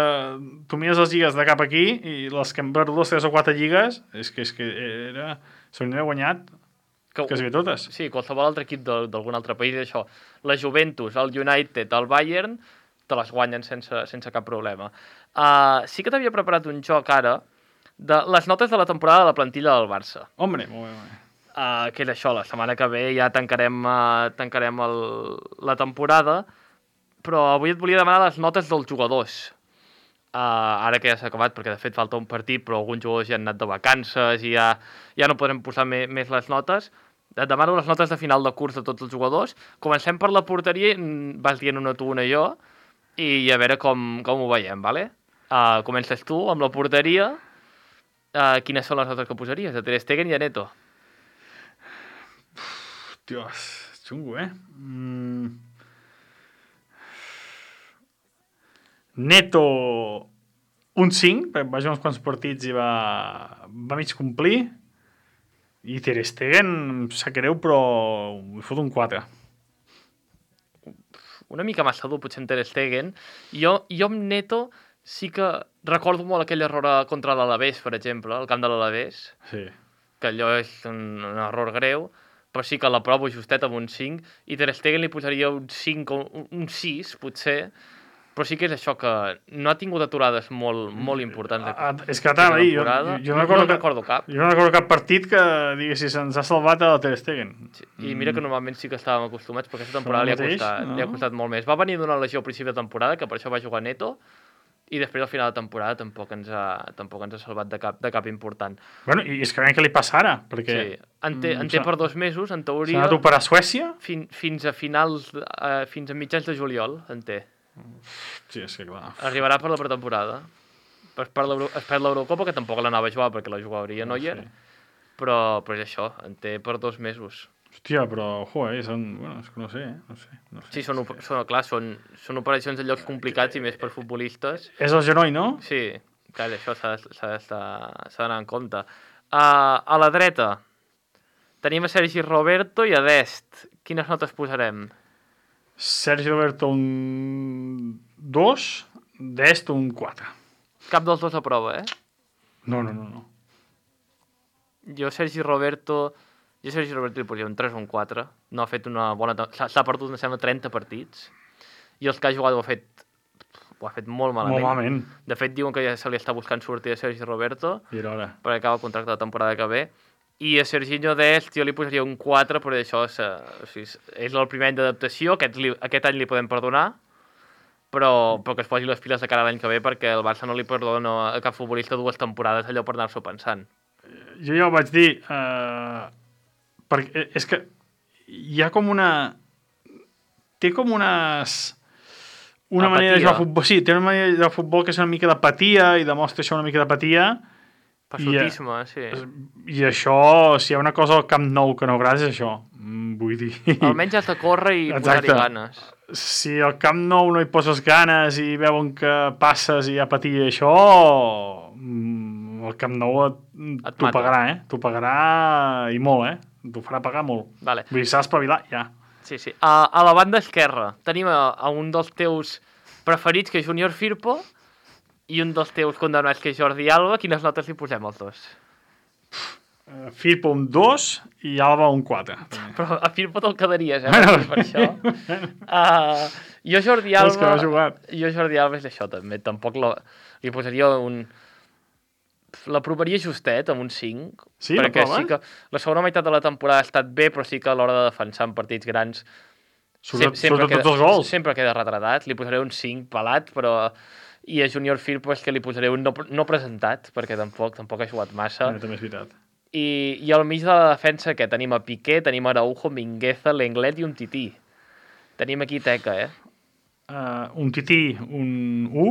S4: Tu mires les lligues de cap aquí i les que hem perdut les tres o quatre lligues, és que, és que era... S'haurien d'haver guanyat
S2: Que,
S4: quasi bé totes.
S2: sí, qualsevol altre equip de- d'algun altre país, això. La Juventus, el United, el Bayern, te les guanyen sense, sense cap problema. Uh, sí que t'havia preparat un joc ara de les notes de la temporada de la plantilla del Barça.
S4: Hombre, molt bé, molt bé.
S2: Uh, que és això, la setmana que ve ja tancarem, uh, tancarem el, la temporada, però avui et volia demanar les notes dels jugadors. Uh, ara que ja s'ha acabat, perquè de fet falta un partit, però alguns jugadors ja han anat de vacances i ja, ja no podrem posar me, més les notes. Et demano les notes de final de curs de tots els jugadors. Comencem per la porteria, mm, vas dient una tu, una jo, i a veure com, com ho veiem, vale? Uh, comences tu amb la porteria. Uh, quines són les notes que posaries? A Ter Stegen i a Neto.
S4: Dios, xungo, eh? Mm. Neto, un cinc, perquè va jugar uns quants partits i va, va mig complir. I Ter Stegen, em sap greu, però li fot un quatre.
S2: Una mica massa dur, potser en Ter Stegen. Jo, jo amb Neto sí que recordo molt aquell error contra l'Alavés, per exemple, al camp de l'Alavés,
S4: Sí.
S2: que allò és un, un error greu, però sí que l'aprovo justet amb un cinc, i Ter Stegen li posaria un cinc o un, un sis, potser, però sí que és això, que no ha tingut aturades molt, molt importants.
S4: Ah, és que t'ha de dir, jo, jo, jo no, recordo
S2: no
S4: cap,
S2: recordo cap.
S4: jo no recordo cap partit que diguessis se'ns ha salvat a Ter Stegen.
S2: Sí. I mira que normalment sí que estàvem acostumats, però aquesta temporada li ha,
S4: mateix,
S2: costat,
S4: no?
S2: li ha costat molt més. Va venir d'una lesió al principi de temporada, que per això va jugar Neto, i després al final de temporada tampoc ens ha, tampoc ens ha salvat de cap, de cap important.
S4: Bueno, i és que veiem què li passa ara, perquè
S2: Sí, en té,
S4: mm,
S2: en té
S4: s'ha-
S2: per dos mesos, en
S4: s'ha
S2: teoria,
S4: anat a operar a Suècia.
S2: fin, fins a finals, eh, fins a mitjans de juliol, en té.
S4: Sí, és que clar.
S2: Arribarà per la pretemporada. Es perd l'Euro- es perd l'Eurocopa, que tampoc l'anava a jugar perquè la jugaria Neuer,
S4: Sí.
S2: però, però és això, en té per dos mesos.
S4: Hòstia, però, joder, són... Bueno, és que no sé, eh? No sé, no sé.
S2: Sí, són, op- són, clar, són, són operacions en llocs complicats i més per futbolistes.
S4: És el genoll, no?
S2: Sí, clar, això s'ha de- s'ha d'estar- s'ha d'anar en compte. Uh, a la dreta tenim a Sergi Roberto i a Dest. Quines notes posarem?
S4: Sergi Roberto un dos, Dest un quatre.
S2: Cap dels dos a prova, eh?
S4: No, no, no, no.
S2: Jo Sergi Roberto... Jo Sergi Roberto li posaria un tres o un quatre. No ha fet una bona... tem- S'ha s'ha perdut, em sembla, trenta partits. I els que ha jugat ho ha fet... Ho ha fet molt malament.
S4: Molt malament.
S2: De fet, diuen que ja se li està buscant sortir a Sergi Roberto
S4: I era hora.
S2: perquè acaba el contracte de temporada que ve. I a Serginho Dest jo li posaria un quatre, però això és, eh, o sigui, és el primer any d'adaptació, aquest, li, aquest any li podem perdonar, però, però que es posi les piles de cara a l'any que ve perquè el Barça no li perdona a cap futbolista dues temporades allò per anar-s'ho pensant.
S4: Jo ja ho vaig dir, eh, perquè és que hi ha com una... Té com unes... una
S2: Apatia.
S4: manera de jugar a futbol, sí, té una manera de jugar a futbol que és una mica d'apatia i demostra això una mica d'apatia.
S2: Passotisme, sí.
S4: I això, si hi ha una cosa al Camp Nou que no agrada és això. Mm, Vull dir...
S2: Almenys has de córrer i
S4: Exacte.
S2: posar-hi ganes.
S4: Si al Camp Nou no hi poses ganes i veuen que passes i hi ha patia i això, mm, el Camp Nou et,
S2: Et
S4: t'ho
S2: mata.
S4: pagarà, eh? T'ho pagarà i molt, eh? T'ho farà pagar molt.
S2: Vale.
S4: Vull dir, s'ha d'espavilar, ja.
S2: Sí, sí. A, a la banda esquerra tenim a, a un dels teus preferits, que és Junior Firpo, i un dels teus condemnats, que és Jordi Alba. Quines notes li posem als dos?
S4: Uh, Firpo un dos i Alba un quatre.
S2: Però a Firpo te'l quedaries, eh?
S4: Bueno.
S2: Per això. Uh, jo Jordi
S4: És que
S2: Alba...
S4: no ha jugat.
S2: Jo Jordi Alba és això, també. Tampoc la, li posaria un... L'aprovaria justet, amb un cinc.
S4: Sí,
S2: perquè
S4: l'aprova?
S2: sí que la segona meitat de la temporada ha estat bé, però sí que a l'hora de defensar en partits grans
S4: Sobretot,
S2: sempre
S4: sobretot
S2: queda,
S4: tots els gols.
S2: sempre queda retratat. Li posaré un cinc pelat, però... I a Junior Firpo és que li posaré un no, no presentat, perquè tampoc tampoc ha jugat massa.
S4: Eh, també és veritat.
S2: I, I al mig de la defensa, que tenim a Piqué, tenim a Araujo, Mingueza, Lenglet i un Tití. Tenim aquí teca, eh?
S4: Uh, un Tití, un u.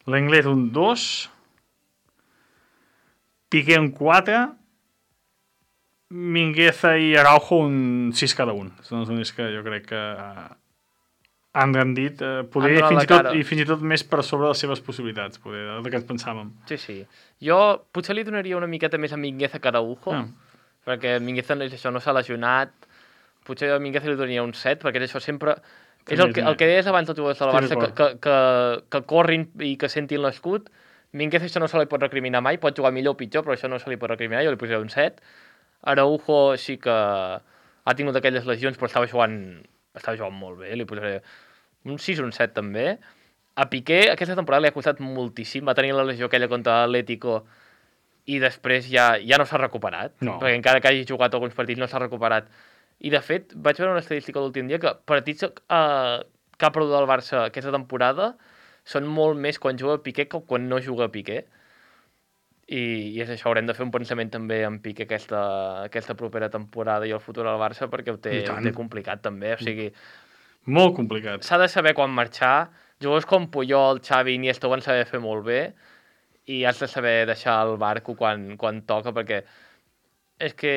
S4: L'Englet, un dos. Piqué, un quatre. Mingueza i Araujo, un sis cada un. Són els únics que jo crec que uh, han rendit, uh, poder,
S2: Han donat
S4: fins
S2: la
S4: i tot,
S2: cara.
S4: i fins i tot més per sobre les seves possibilitats, poder, del que ens pensàvem.
S2: Sí, sí. Jo potser li donaria una miqueta més a Mingueza que a Araujo,
S4: Ah.
S2: perquè Mingueza és això, no s'ha lesionat. Potser a Mingueza li donaria un set, perquè és això sempre... És el que, el que deies abans dels jugadors de la Barça, que, que, que, que corrin i que sentin l'escut. Mingueza això no se li pot recriminar mai, pot jugar millor o pitjor, però això no se li pot recriminar, jo li posaria un set. Araujo sí que ha tingut aquelles lesions, però estava jugant, estava jugant molt bé, li posaré un sis o un set també. A Piqué aquesta temporada li ha costat moltíssim, va tenir la lesió aquella contra l'Atlético i després ja, ja no s'ha recuperat,
S4: No.
S2: perquè encara que hagi jugat alguns partits no s'ha recuperat. I de fet, vaig veure una estadística l'últim dia que partits eh, que ha perdut el Barça aquesta temporada són molt més quan juga Piqué que quan no juga Piqué. I, i és això, haurem de fer un pensament també en Piqué aquesta, aquesta propera temporada i el futur del Barça, perquè ho té,
S4: I tant.
S2: ho té complicat també, o sigui,
S4: Molt complicat.
S2: s'ha de saber quan marxar. Jugadors com Puyol, Xavi, Iniesta ho van saber fer molt bé i has de saber deixar el barco quan, quan toca, perquè és que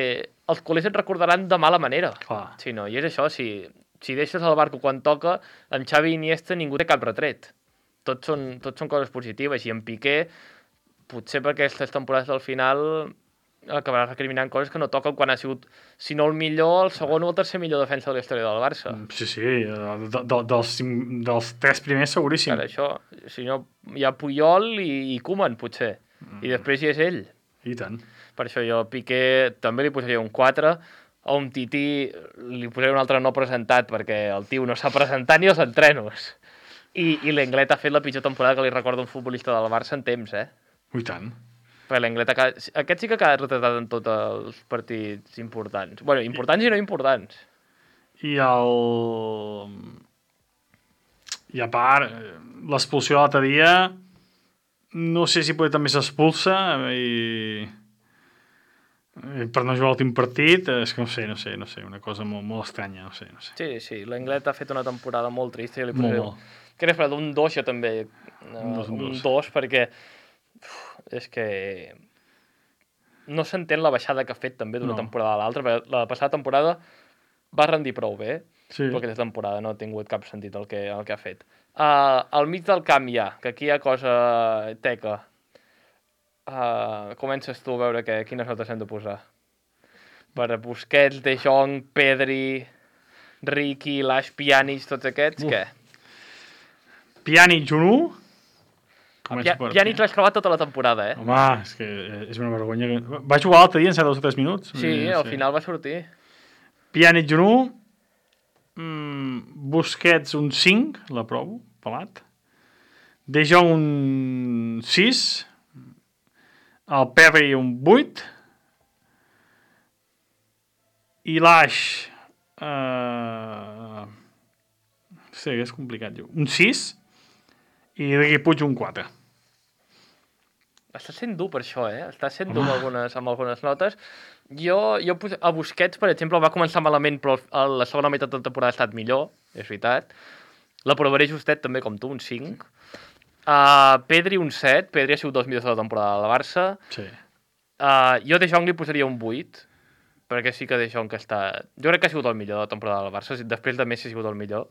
S2: els culers et recordaran de mala manera.
S4: Clar.
S2: Sí, no? I és això, si, si deixes el barco quan toca, amb Xavi i Iniesta ningú té cap retret. Tots són, tots són coses positives, i en Piqué, potser per aquestes temporades del final acabarà recriminant coses que no toquen quan ha sigut, si no el millor, el segon o el tercer millor defensa de la història del Barça.
S4: Sí, sí, de, de, dels, cinc, dels tres primers seguríssim.
S2: Ara, això, si no, hi ha Puyol i, i Koeman, potser. Mm. I després hi és ell.
S4: I tant.
S2: Per això jo a Piqué també li posaria un quatre, a un Tití li posaria un altre no presentat, perquè el tio no s'ha presentat ni als entrenos. I, i l'Englet ha fet la pitjor temporada que li recorda un futbolista del Barça en temps, eh?
S4: I tant.
S2: Perquè l'Englet ha quedat... Aquest sí que ha quedat retratat en tots els partits importants. Bueno, importants i no importants.
S4: I el... I a part, l'expulsió de l'altre dia, no sé si potser també s'expulsa i... i per no jugar l'últim partit, és que no sé, no sé, no sé, una cosa molt, molt estranya, no sé, no sé.
S2: Sí, sí, l'Englet ha fet una temporada molt trista. Jo li
S4: Molt,
S2: posaré...
S4: molt.
S2: Què n'he fet? Un dos, jo també.
S4: Un dos, un
S2: un
S4: dos.
S2: dos, perquè uf, és que no s'entén la baixada que ha fet també d'una
S4: No.
S2: temporada a l'altra, perquè la passada temporada va rendir prou bé,
S4: Sí.
S2: però aquesta temporada no ha tingut cap sentit el que, el que ha fet. Uh, al mig del camp ja, que aquí hi ha cosa teca. Uh, comences tu a veure que, quines notes hem de posar. Per Busquets, De Jong, Pedri, Riqui, Lash, Pjanic, tots aquests,
S4: Uf.
S2: què?
S4: Pjanic, un u.
S2: Pia- Pjanic l'has clavat tota la temporada, eh?
S4: Home, és que és una vergonya. que- Va jugar l'altre dia en set o tres minuts.
S2: Sí,
S4: No
S2: al
S4: sé.
S2: final va sortir.
S4: Pjanic, un u. Mm, Busquets, un cinc, l'aprovo, pelat. De Jong, un sis. El Perry, un vuit. I l'Aix... Uh... Sí, és complicat. Un sis. I Riqui Puig, un quatre.
S2: Està sent dur per això, eh? Està sent dur amb algunes, amb algunes notes. Jo, jo pos- a Busquets, per exemple, va començar malament, però a la segona meitat de la temporada ha estat millor, és veritat. L'aprovaré justet també com tu, un cinc. Uh, Pedri un set, Pedri ha sigut dels millors de la temporada del Barça.
S4: Sí.
S2: Uh, jo De Jong li posaria un vuit, perquè sí que De Jong està... Jo crec que ha sigut el millor de la temporada del Barça, després de Messi ha sigut el millor.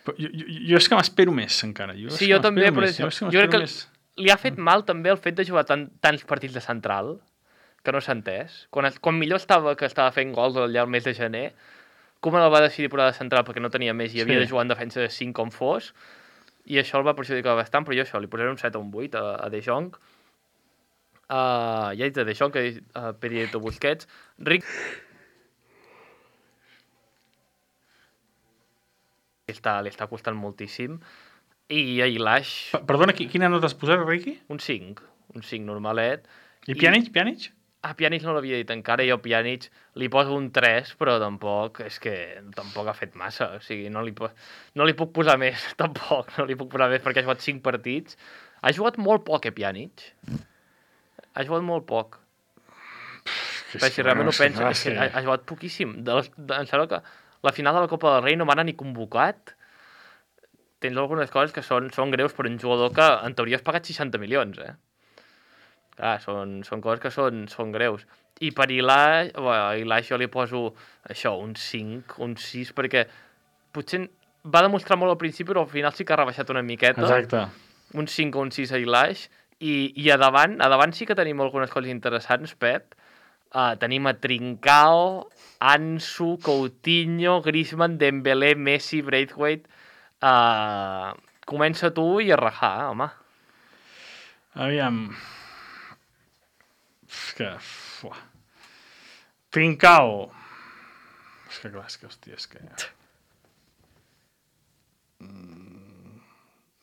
S4: Però jo, jo, jo és que m'espero més, encara. Jo
S2: Sí, jo també, però
S4: més.
S2: jo,
S4: jo,
S2: jo crec que
S4: més.
S2: li ha fet mal també el fet de jugar tant, tants partits de central, que no s'ha entès. Quan, quan millor estava que estava fent gols allà al mes de gener, com el va decidir posar de central perquè no tenia més i havia
S4: Sí.
S2: de jugar en defensa de cinc com fos, i això el va perjudicar bastant, però jo això, li posaré un set o un vuit a, a De Jong. Uh, ja he dit de De Jong, que he dit uh, Pedrito Busquets. Ric... Li està, li està costant moltíssim. I a Ilaix,
S4: Pa- Perdona, qui- quina nota has posat, Riqui?
S2: un cinc. Un cinc normalet.
S4: I Pjanic, Pjanic?
S2: A Pjanic no l'havia dit encara, jo a Pjanic li poso un tres, però tampoc, és que tampoc ha fet massa, o sigui, no li, po no li puc posar més, tampoc, no li puc posar més perquè ha jugat cinc partits. Ha jugat molt poc, eh, Pjanic? Ha jugat molt poc. Però si realment ho penso, és que ha, ha jugat poquíssim. De les, de, em sembla que la final de la Copa del Rei no m'ha ni convocat. Tens algunes coses que són, són greus per un jugador que en teoria has pagat seixanta milions, eh? Clar, són, són coses que són, són greus. I per Ilaix, bueno, a Ilaix jo li poso això, un cinc, un sis, perquè potser va demostrar molt al principi, però al final sí que ha rebaixat una miqueta.
S4: Exacte.
S2: Un cinc o un sis a Ilaix. I, i a davant, a davant sí que tenim algunes coses interessants, Pep. Uh, tenim a Trincao, Ansu, Coutinho, Griezmann, Dembélé, Messi, Braithwaite. Uh, comença tu i a rajar, home.
S4: Aviam... És que... Fuà. Trincao. És que clar, és que, hòstia, és que... Mm.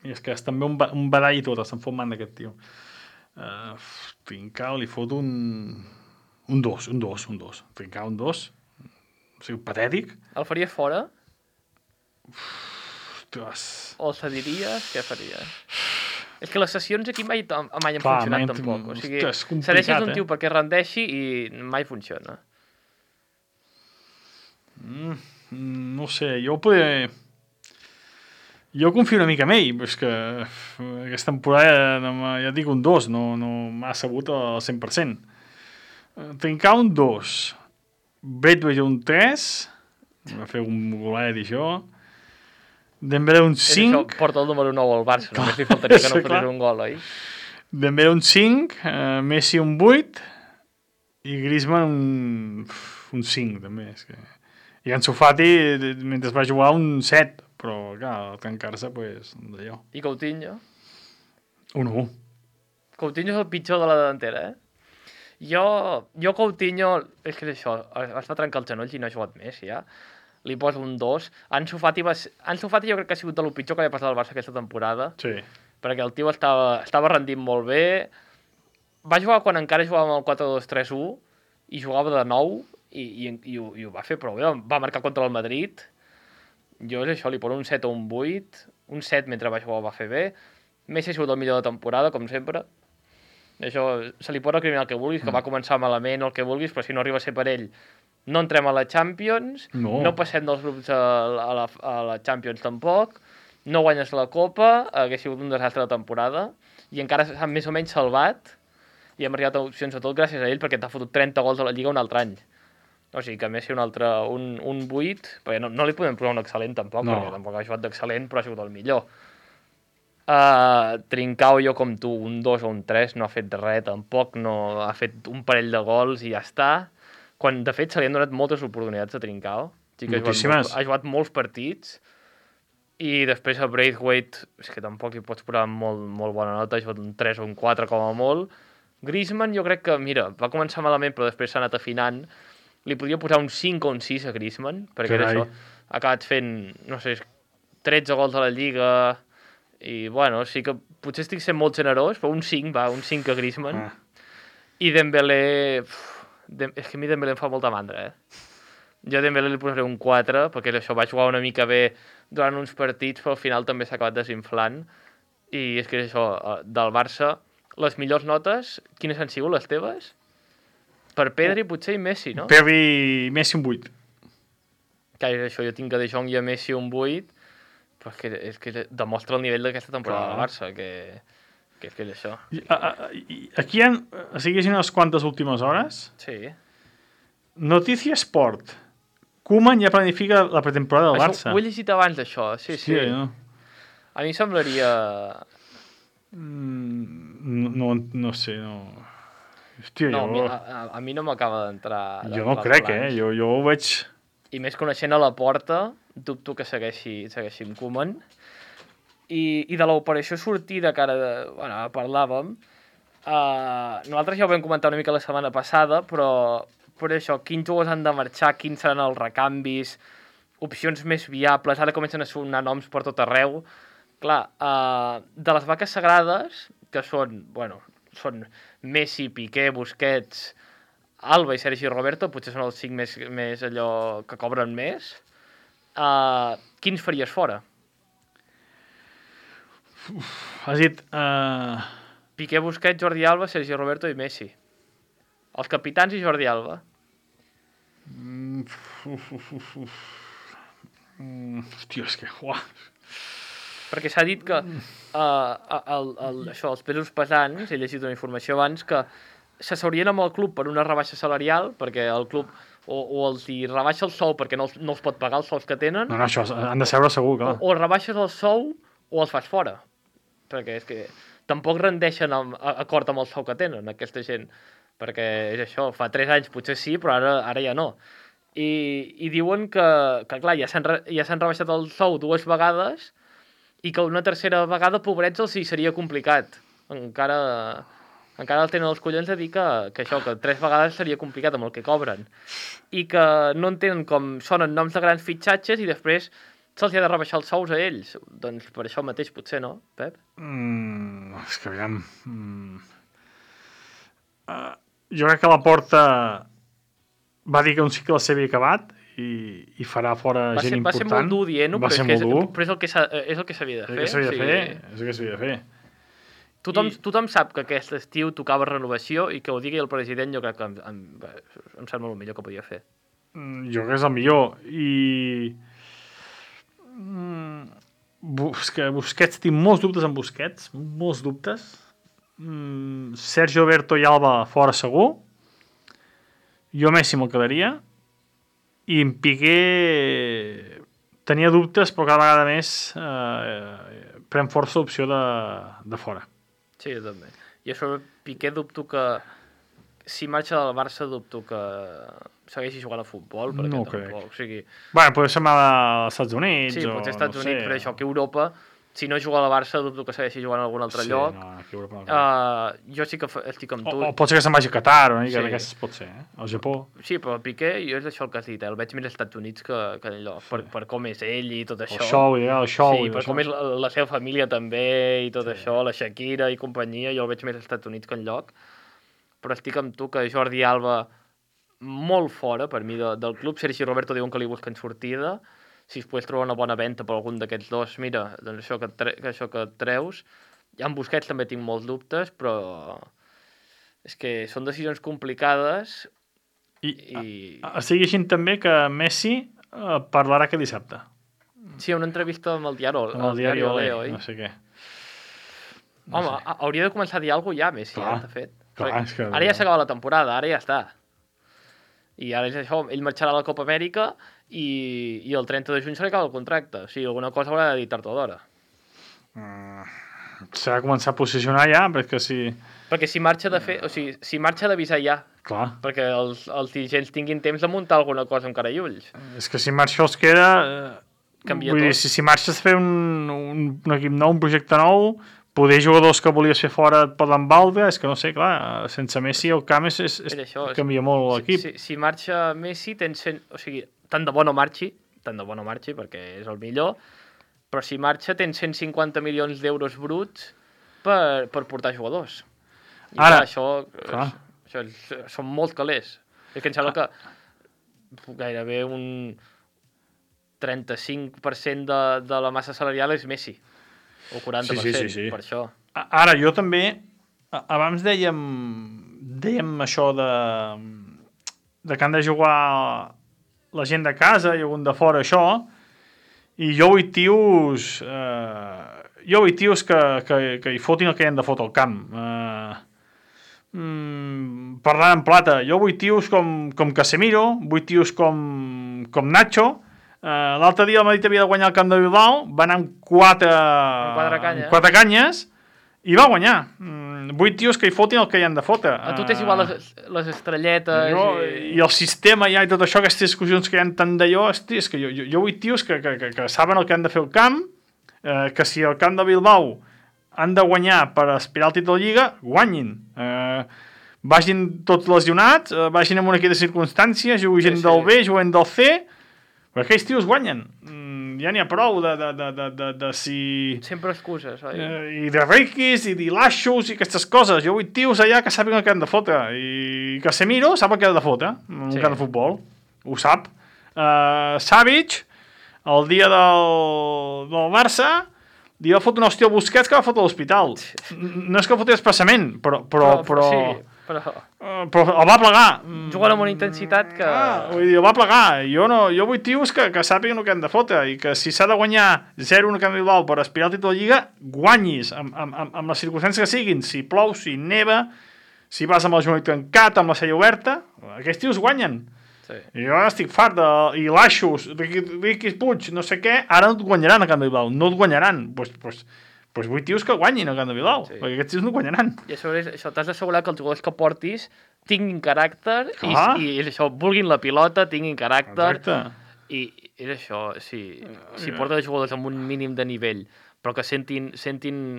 S4: I és que és també un, ba un badall i tot, se'n fot man d'aquest tio. Uh, Trincao li fot un... Un dos, un dos, un dos. Trincao un dos. O sigui, patètic.
S2: El faries fora?
S4: Ostres.
S2: O el cediries? Què faries? És que les sessions aquí mai, mai han
S4: Clar,
S2: funcionat
S4: mai han-
S2: tampoc. O sigui,
S4: Ostres, és complicat,
S2: cedeixes un
S4: eh?
S2: tio perquè rendeixi i mai funciona.
S4: Mm, no sé, jo podria... Jo confio una mica en ell, però és que aquesta temporada, no m'ha- ja et dic un dos, no, no m'ha sabut al cent per cent. Trincar un dos, Braithwaite un tres, va fer un golet i això, Dembélé un
S2: És això,
S4: cinc,
S2: porta el número nou al Barça, només li faltaria que no
S4: sí, clar.
S2: fotés un gol, oi?
S4: Dembélé un cinc, eh, Messi un vuit i Griezmann un, un cinc també. És que... I Ansu Fati, mentre va jugar, un set, però clar, al tancar-se, pues, d'allò.
S2: I Coutinho?
S4: Un u.
S2: Coutinho és el pitjor de la delantera, eh? Jo, jo Coutinho, és que és això, es va trencar els genolls i no ha jugat més, ja. Li poso un dos. Ansu Fati, va ser... Ansu Fati jo crec que ha sigut de lo pitjor que li ha passat al Barça aquesta temporada,
S4: Sí.
S2: perquè el tio estava, estava rendint molt bé. Va jugar quan encara jugàvem el quatre dos tres u i jugava de nou i, i, i, ho, i ho va fer prou bé. Va marcar contra el Madrid. Jo és això, li poso un set o un vuit. Un set mentre va jugar ho va fer bé. Messi ha sigut el millor de temporada, com sempre. Això, se li pot recriminar el que vulguis, que
S4: Mm.
S2: va començar malament o el que vulguis, però si no arriba a ser per ell, no entrem a la Champions,
S4: No.
S2: no passem dels grups a la, a la, a la Champions tampoc, no guanyes la Copa, hagués sigut un desastre de temporada, i encara s'ha més o menys salvat, i hem arribat a opcions a tot gràcies a ell, perquè t'ha fotut trenta gols a la Lliga un altre any. O sigui que Messi un altre, un, un vuit, perquè no, no li podem posar un excel·lent tampoc,
S4: No.
S2: perquè tampoc ha jugat d'excel·lent, però ha sigut el millor. Uh, Trincao, jo com tu, un dos o un tres, no ha fet res tampoc, no ha fet un parell de gols i ja està. Quan, de fet, se li han donat moltes oportunitats a Trincao. Sí que ha jugat,
S4: Moltíssimes.
S2: molts, ha jugat molts partits. I després a Braithwaite, és que tampoc li pots posar molt, molt bona nota, ha jugat un tres o un quatre com a molt. Griezmann jo crec que, mira, va començar malament però després s'ha anat afinant. Li podria posar un cinc o un sis a Griezmann, perquè era
S4: Carai.
S2: això. Ha acabat fent, no sé, tretze gols a la Lliga i, bueno, sí que potser estic sent molt generós, però un cinc, va, un cinc a Griezmann.
S4: Ah.
S2: I Dembélé... Uf, Dem és que a mi Dembélé em fa molta mandra, eh? Jo a Dembélé li posaré un quatre, perquè això va jugar una mica bé durant uns partits, però al final també s'ha acabat desinflant. I és que és això, eh, del Barça, les millors notes, quines han sigut les teves? Per Pedri, potser, i Messi, no?
S4: Pedri, Messi un vuit.
S2: Que és això, jo tinc a De Jong i a Messi un vuit, Però és que, és que demostra el nivell d'aquesta temporada
S4: Clar.
S2: del Barça, que, que és que és això.
S4: I, a, a, i aquí hi ha, o sigui, unes quantes últimes hores.
S2: Sí.
S4: Notícia Sport. Koeman ja planifica la pretemporada del
S2: Això,
S4: Barça.
S2: ho he llegit abans, això. Sí, sí.
S4: Hòstia, no?
S2: A mi em semblaria...
S4: Mm, no, no sé, no... Hòstia,
S2: No, a mi,
S4: jo...
S2: a, a, a mi no m'acaba d'entrar...
S4: Jo no crec, eh? Jo, jo ho veig...
S2: I més coneixent a la porta, dubto que segueixi, segueixi amb Koeman. I, I de l'operació sortida, que ara de, bueno, parlàvem, uh, nosaltres ja ho vam comentar una mica la setmana passada, però per això, quins jugadors han de marxar, quins seran els recanvis, opcions més viables, ara comencen a sonar noms per tot arreu. Clar, uh, de les vaques sagrades, que són, bueno, són Messi, Piqué, Busquets, Alba i Sergi Roberto, potser són els cinc més, més allò que cobren més. Uh, quins faries fora?
S4: Uf, has dit... Uh...
S2: Piqué, Busquets, Jordi Alba, Sergi Roberto i Messi. Els capitans i Jordi Alba.
S4: Mm, uf, uf, uf, uf. Mm, hòstia, és que... Uah.
S2: Perquè s'ha dit que uh, el, el, això, els pesos pesants, he llegit una informació abans, que s'asseurien amb el club per una rebaixa salarial, perquè el club o, o els hi rebaixa el sou perquè no els, no els pot pagar els sous que tenen,
S4: No, no, això han de seure segur, clar.
S2: o, o rebaixes el sou o els fas fora. Perquè és que tampoc rendeixen amb, a, acord amb el sou que tenen, aquesta gent. Perquè és això, fa tres anys potser sí, però ara, ara ja no. I, i diuen que, que clar, ja s'han ja s'han rebaixat el sou dues vegades i que una tercera vegada, pobrets, els hi seria complicat. Encara, encara el tenen els collons de dir que, que això, que tres vegades seria complicat amb el que cobren. I que no entenen com sonen noms de grans fitxatges i després se'ls ha de rebaixar els sous a ells. Doncs per això mateix potser, no, Pep?
S4: Mm, és que aviam... Mm. Uh, jo crec que la Porta va dir que un cicle s'havia acabat i, i farà fora
S2: Va
S4: gent
S2: ser, va
S4: important.
S2: ser molt dur dient-ho,
S4: Va
S2: però,
S4: ser
S2: és que és,
S4: molt dur.
S2: però és el que s'ha- és el que s'havia de
S4: És el
S2: fer.
S4: que s'havia de
S2: o
S4: fer.
S2: sigui,
S4: És el que s'havia de fer.
S2: Tothom,
S4: I-
S2: tothom sap que aquest estiu tocava renovació i que ho digui el president jo crec que em, em, em sembla el millor que podia fer.
S4: Mm, jo crec que és el millor. I... Mm, Bus que Busquets, tinc molts dubtes amb Busquets. Molts dubtes. Mm, Sergio Berto i Alba fora segur. Jo Messi me'l quedaria. I en Piqué tenia dubtes, però cada vegada més eh, pren força l'opció de, de fora.
S2: Sí, jo també. I a sobre Piqué dubto que si marxa del Barça dubto que segueixi jugant a futbol, perquè
S4: No
S2: tampoc,
S4: crec.
S2: o sigui,
S4: Bueno, potser se'n va als Estats Units.
S2: sí,
S4: o,
S2: potser als Estats
S4: no
S2: Units,
S4: sé.
S2: però això que Europa, si no juga al Barça dubto que segueixi jugant a algun altre
S4: Sí,
S2: lloc.
S4: no, aquí a Europa no.
S2: Uh, jo sí que fa- estic amb
S4: o,
S2: tu.
S4: o pot ser que se'n vagi a Qatar, una mica
S2: Sí.
S4: d'aquestes pot ser, eh? Al Japó.
S2: Sí, però Piqué, jo és això el que has dit, eh? El veig més als Estats Units que, que enlloc, per, per com és ell i tot
S4: El
S2: això.
S4: show, ja, el show.
S2: Sí,
S4: i
S2: per
S4: això.
S2: com és la, la seva família també i tot sí. això, la Shakira i companyia, jo el veig més als Estats Units que enlloc. Però estic amb tu que Jordi Alba molt fora, per mi, de, del club. Sergi Roberto diuen que li busquen sortida. Si es pogués trobar una bona venda per algun d'aquests dos, mira, doncs això que, tre que això que et treus. Ja en Busquets també tinc molts dubtes, però és que són decisions complicades
S4: I,
S2: i...
S4: a, estic llegint també que Messi eh, parlarà aquest dissabte.
S2: Sí, una entrevista amb el diari,
S4: Amb el diari Olé,
S2: oi?
S4: no sé què.
S2: Home, a- hauria de començar a dir alguna cosa ja, Messi,
S4: Clar,
S2: ja, de fet.
S4: clar,
S2: Perquè
S4: és que-
S2: Ara ja s'acaba la temporada, ara ja està. I ara és això, ell marxarà a la Copa Amèrica i, i el trenta de juny se li acaba el contracte. O sigui, alguna cosa haurà de dir tard o d'hora.
S4: Mm, S'ha de començar a posicionar ja, perquè si...
S2: Perquè si marxa de fer... O sigui, si marxa d'avisar ja,
S4: Clar,
S2: perquè els, els dirigents tinguin temps de muntar alguna cosa amb cara i ulls.
S4: és que si marxa els queda... Eh,
S2: Canvia
S4: vull
S2: tot.
S4: dir, si, si marxes a fer un, un, un equip nou, un projecte nou, poder jugadors que volies fer fora et poden valdre, és que no sé, clar, sense Messi el camp és, és, és,
S2: És això, és-
S4: canvia molt l'equip.
S2: Si, si marxa Messi, tens cent... O sigui, tant de bo no marxi, tant de bo no marxi, perquè és el millor, però si marxa tens cent cinquanta milions d'euros bruts per, per portar jugadors. I
S4: Ara,
S2: clar, això,
S4: clar.
S2: És, això és, són molts calés. És que em sembla que gairebé un trenta-cinc per cent de, de la massa salarial és Messi, o quaranta per cent,
S4: Sí, sí, sí, sí.
S2: per això.
S4: A- Ara, jo també, a- abans dèiem, dèiem això de, de que han de jugar la gent de casa i algun de fora, això, I jo vull tios... Eh, jo vull tios que, que, que hi fotin el que hi han de fotre al camp. Eh, mm, parlant en plata, jo vull tios com, com Casemiro, vull tios com, com Nacho. Eh, L'altre dia el Madrid havia de guanyar el camp de Bilbao, va anar amb quatre,
S2: amb quatre, canya.
S4: amb quatre canyes i va guanyar. Mm, vull tios que hi fotin el que hi han de fotre.
S2: A tu t'és igual les, les estrelletes...
S4: Jo,
S2: i...
S4: I el sistema ja i tot això, aquestes discussions que hi ha tant d'allò, hosti, és que jo, jo, jo vull tios que, que, que, que saben el que han de fer al camp, eh, que si el camp de Bilbao han de guanyar per aspirar al títol de Lliga, guanyin. Eh, vagin tots lesionats, eh, vagin en una equip de circumstàncies, juguin
S2: sí, sí.
S4: del B, juguen del C, però aquells tios guanyen. Mm, ja n'hi ha prou de, de, de, de, de, de si...
S2: Sempre excuses, oi?
S4: Eh, I de reikis, i d'ilashos, i aquestes coses. Jo vull tios allà que sàpiguen el que han de fotre. I Casemiro sap el que ha de fotre en un
S2: sí.
S4: camp de futbol. Ho sap. Uh, Savic, el dia del, del Barça, li va fotre un hòstia al Busquets que va fotre a l'hospital. No és que el fotés expressament, però... però, però...
S2: Sí, però...
S4: Uh, però el va plegar.
S2: Juguen amb una intensitat que...
S4: Ah, vull dir, el va plegar. Jo, no, jo vull tios que, que sàpiguen el que han de fotre i que si s'ha de guanyar zero un camp de Bilbao per aspirar al títol de Lliga, guanyis amb, amb, amb, amb les circumstàncies que siguin. Si plou, si neva, si vas amb el genoll tancat, amb la cella oberta, aquests tios guanyen.
S2: Sí.
S4: I jo estic fart de... I l'Aixos, Riqui, Riqui Puig, no sé què, ara no et guanyaran a Camp de Bilbao, no et guanyaran. Doncs pues, pues, pues vull tios que guanyin a Camp de Bilbao, sí. perquè aquests tios no guanyaran.
S2: I a sobre això, t'has d'assegurar que els jugadors que portis tinguin caràcter i,
S4: ah.
S2: i, és això, vulguin la pilota, tinguin caràcter.
S4: Exacte.
S2: I és això, si, si porten jugadors amb un mínim de nivell, però que sentin... sentin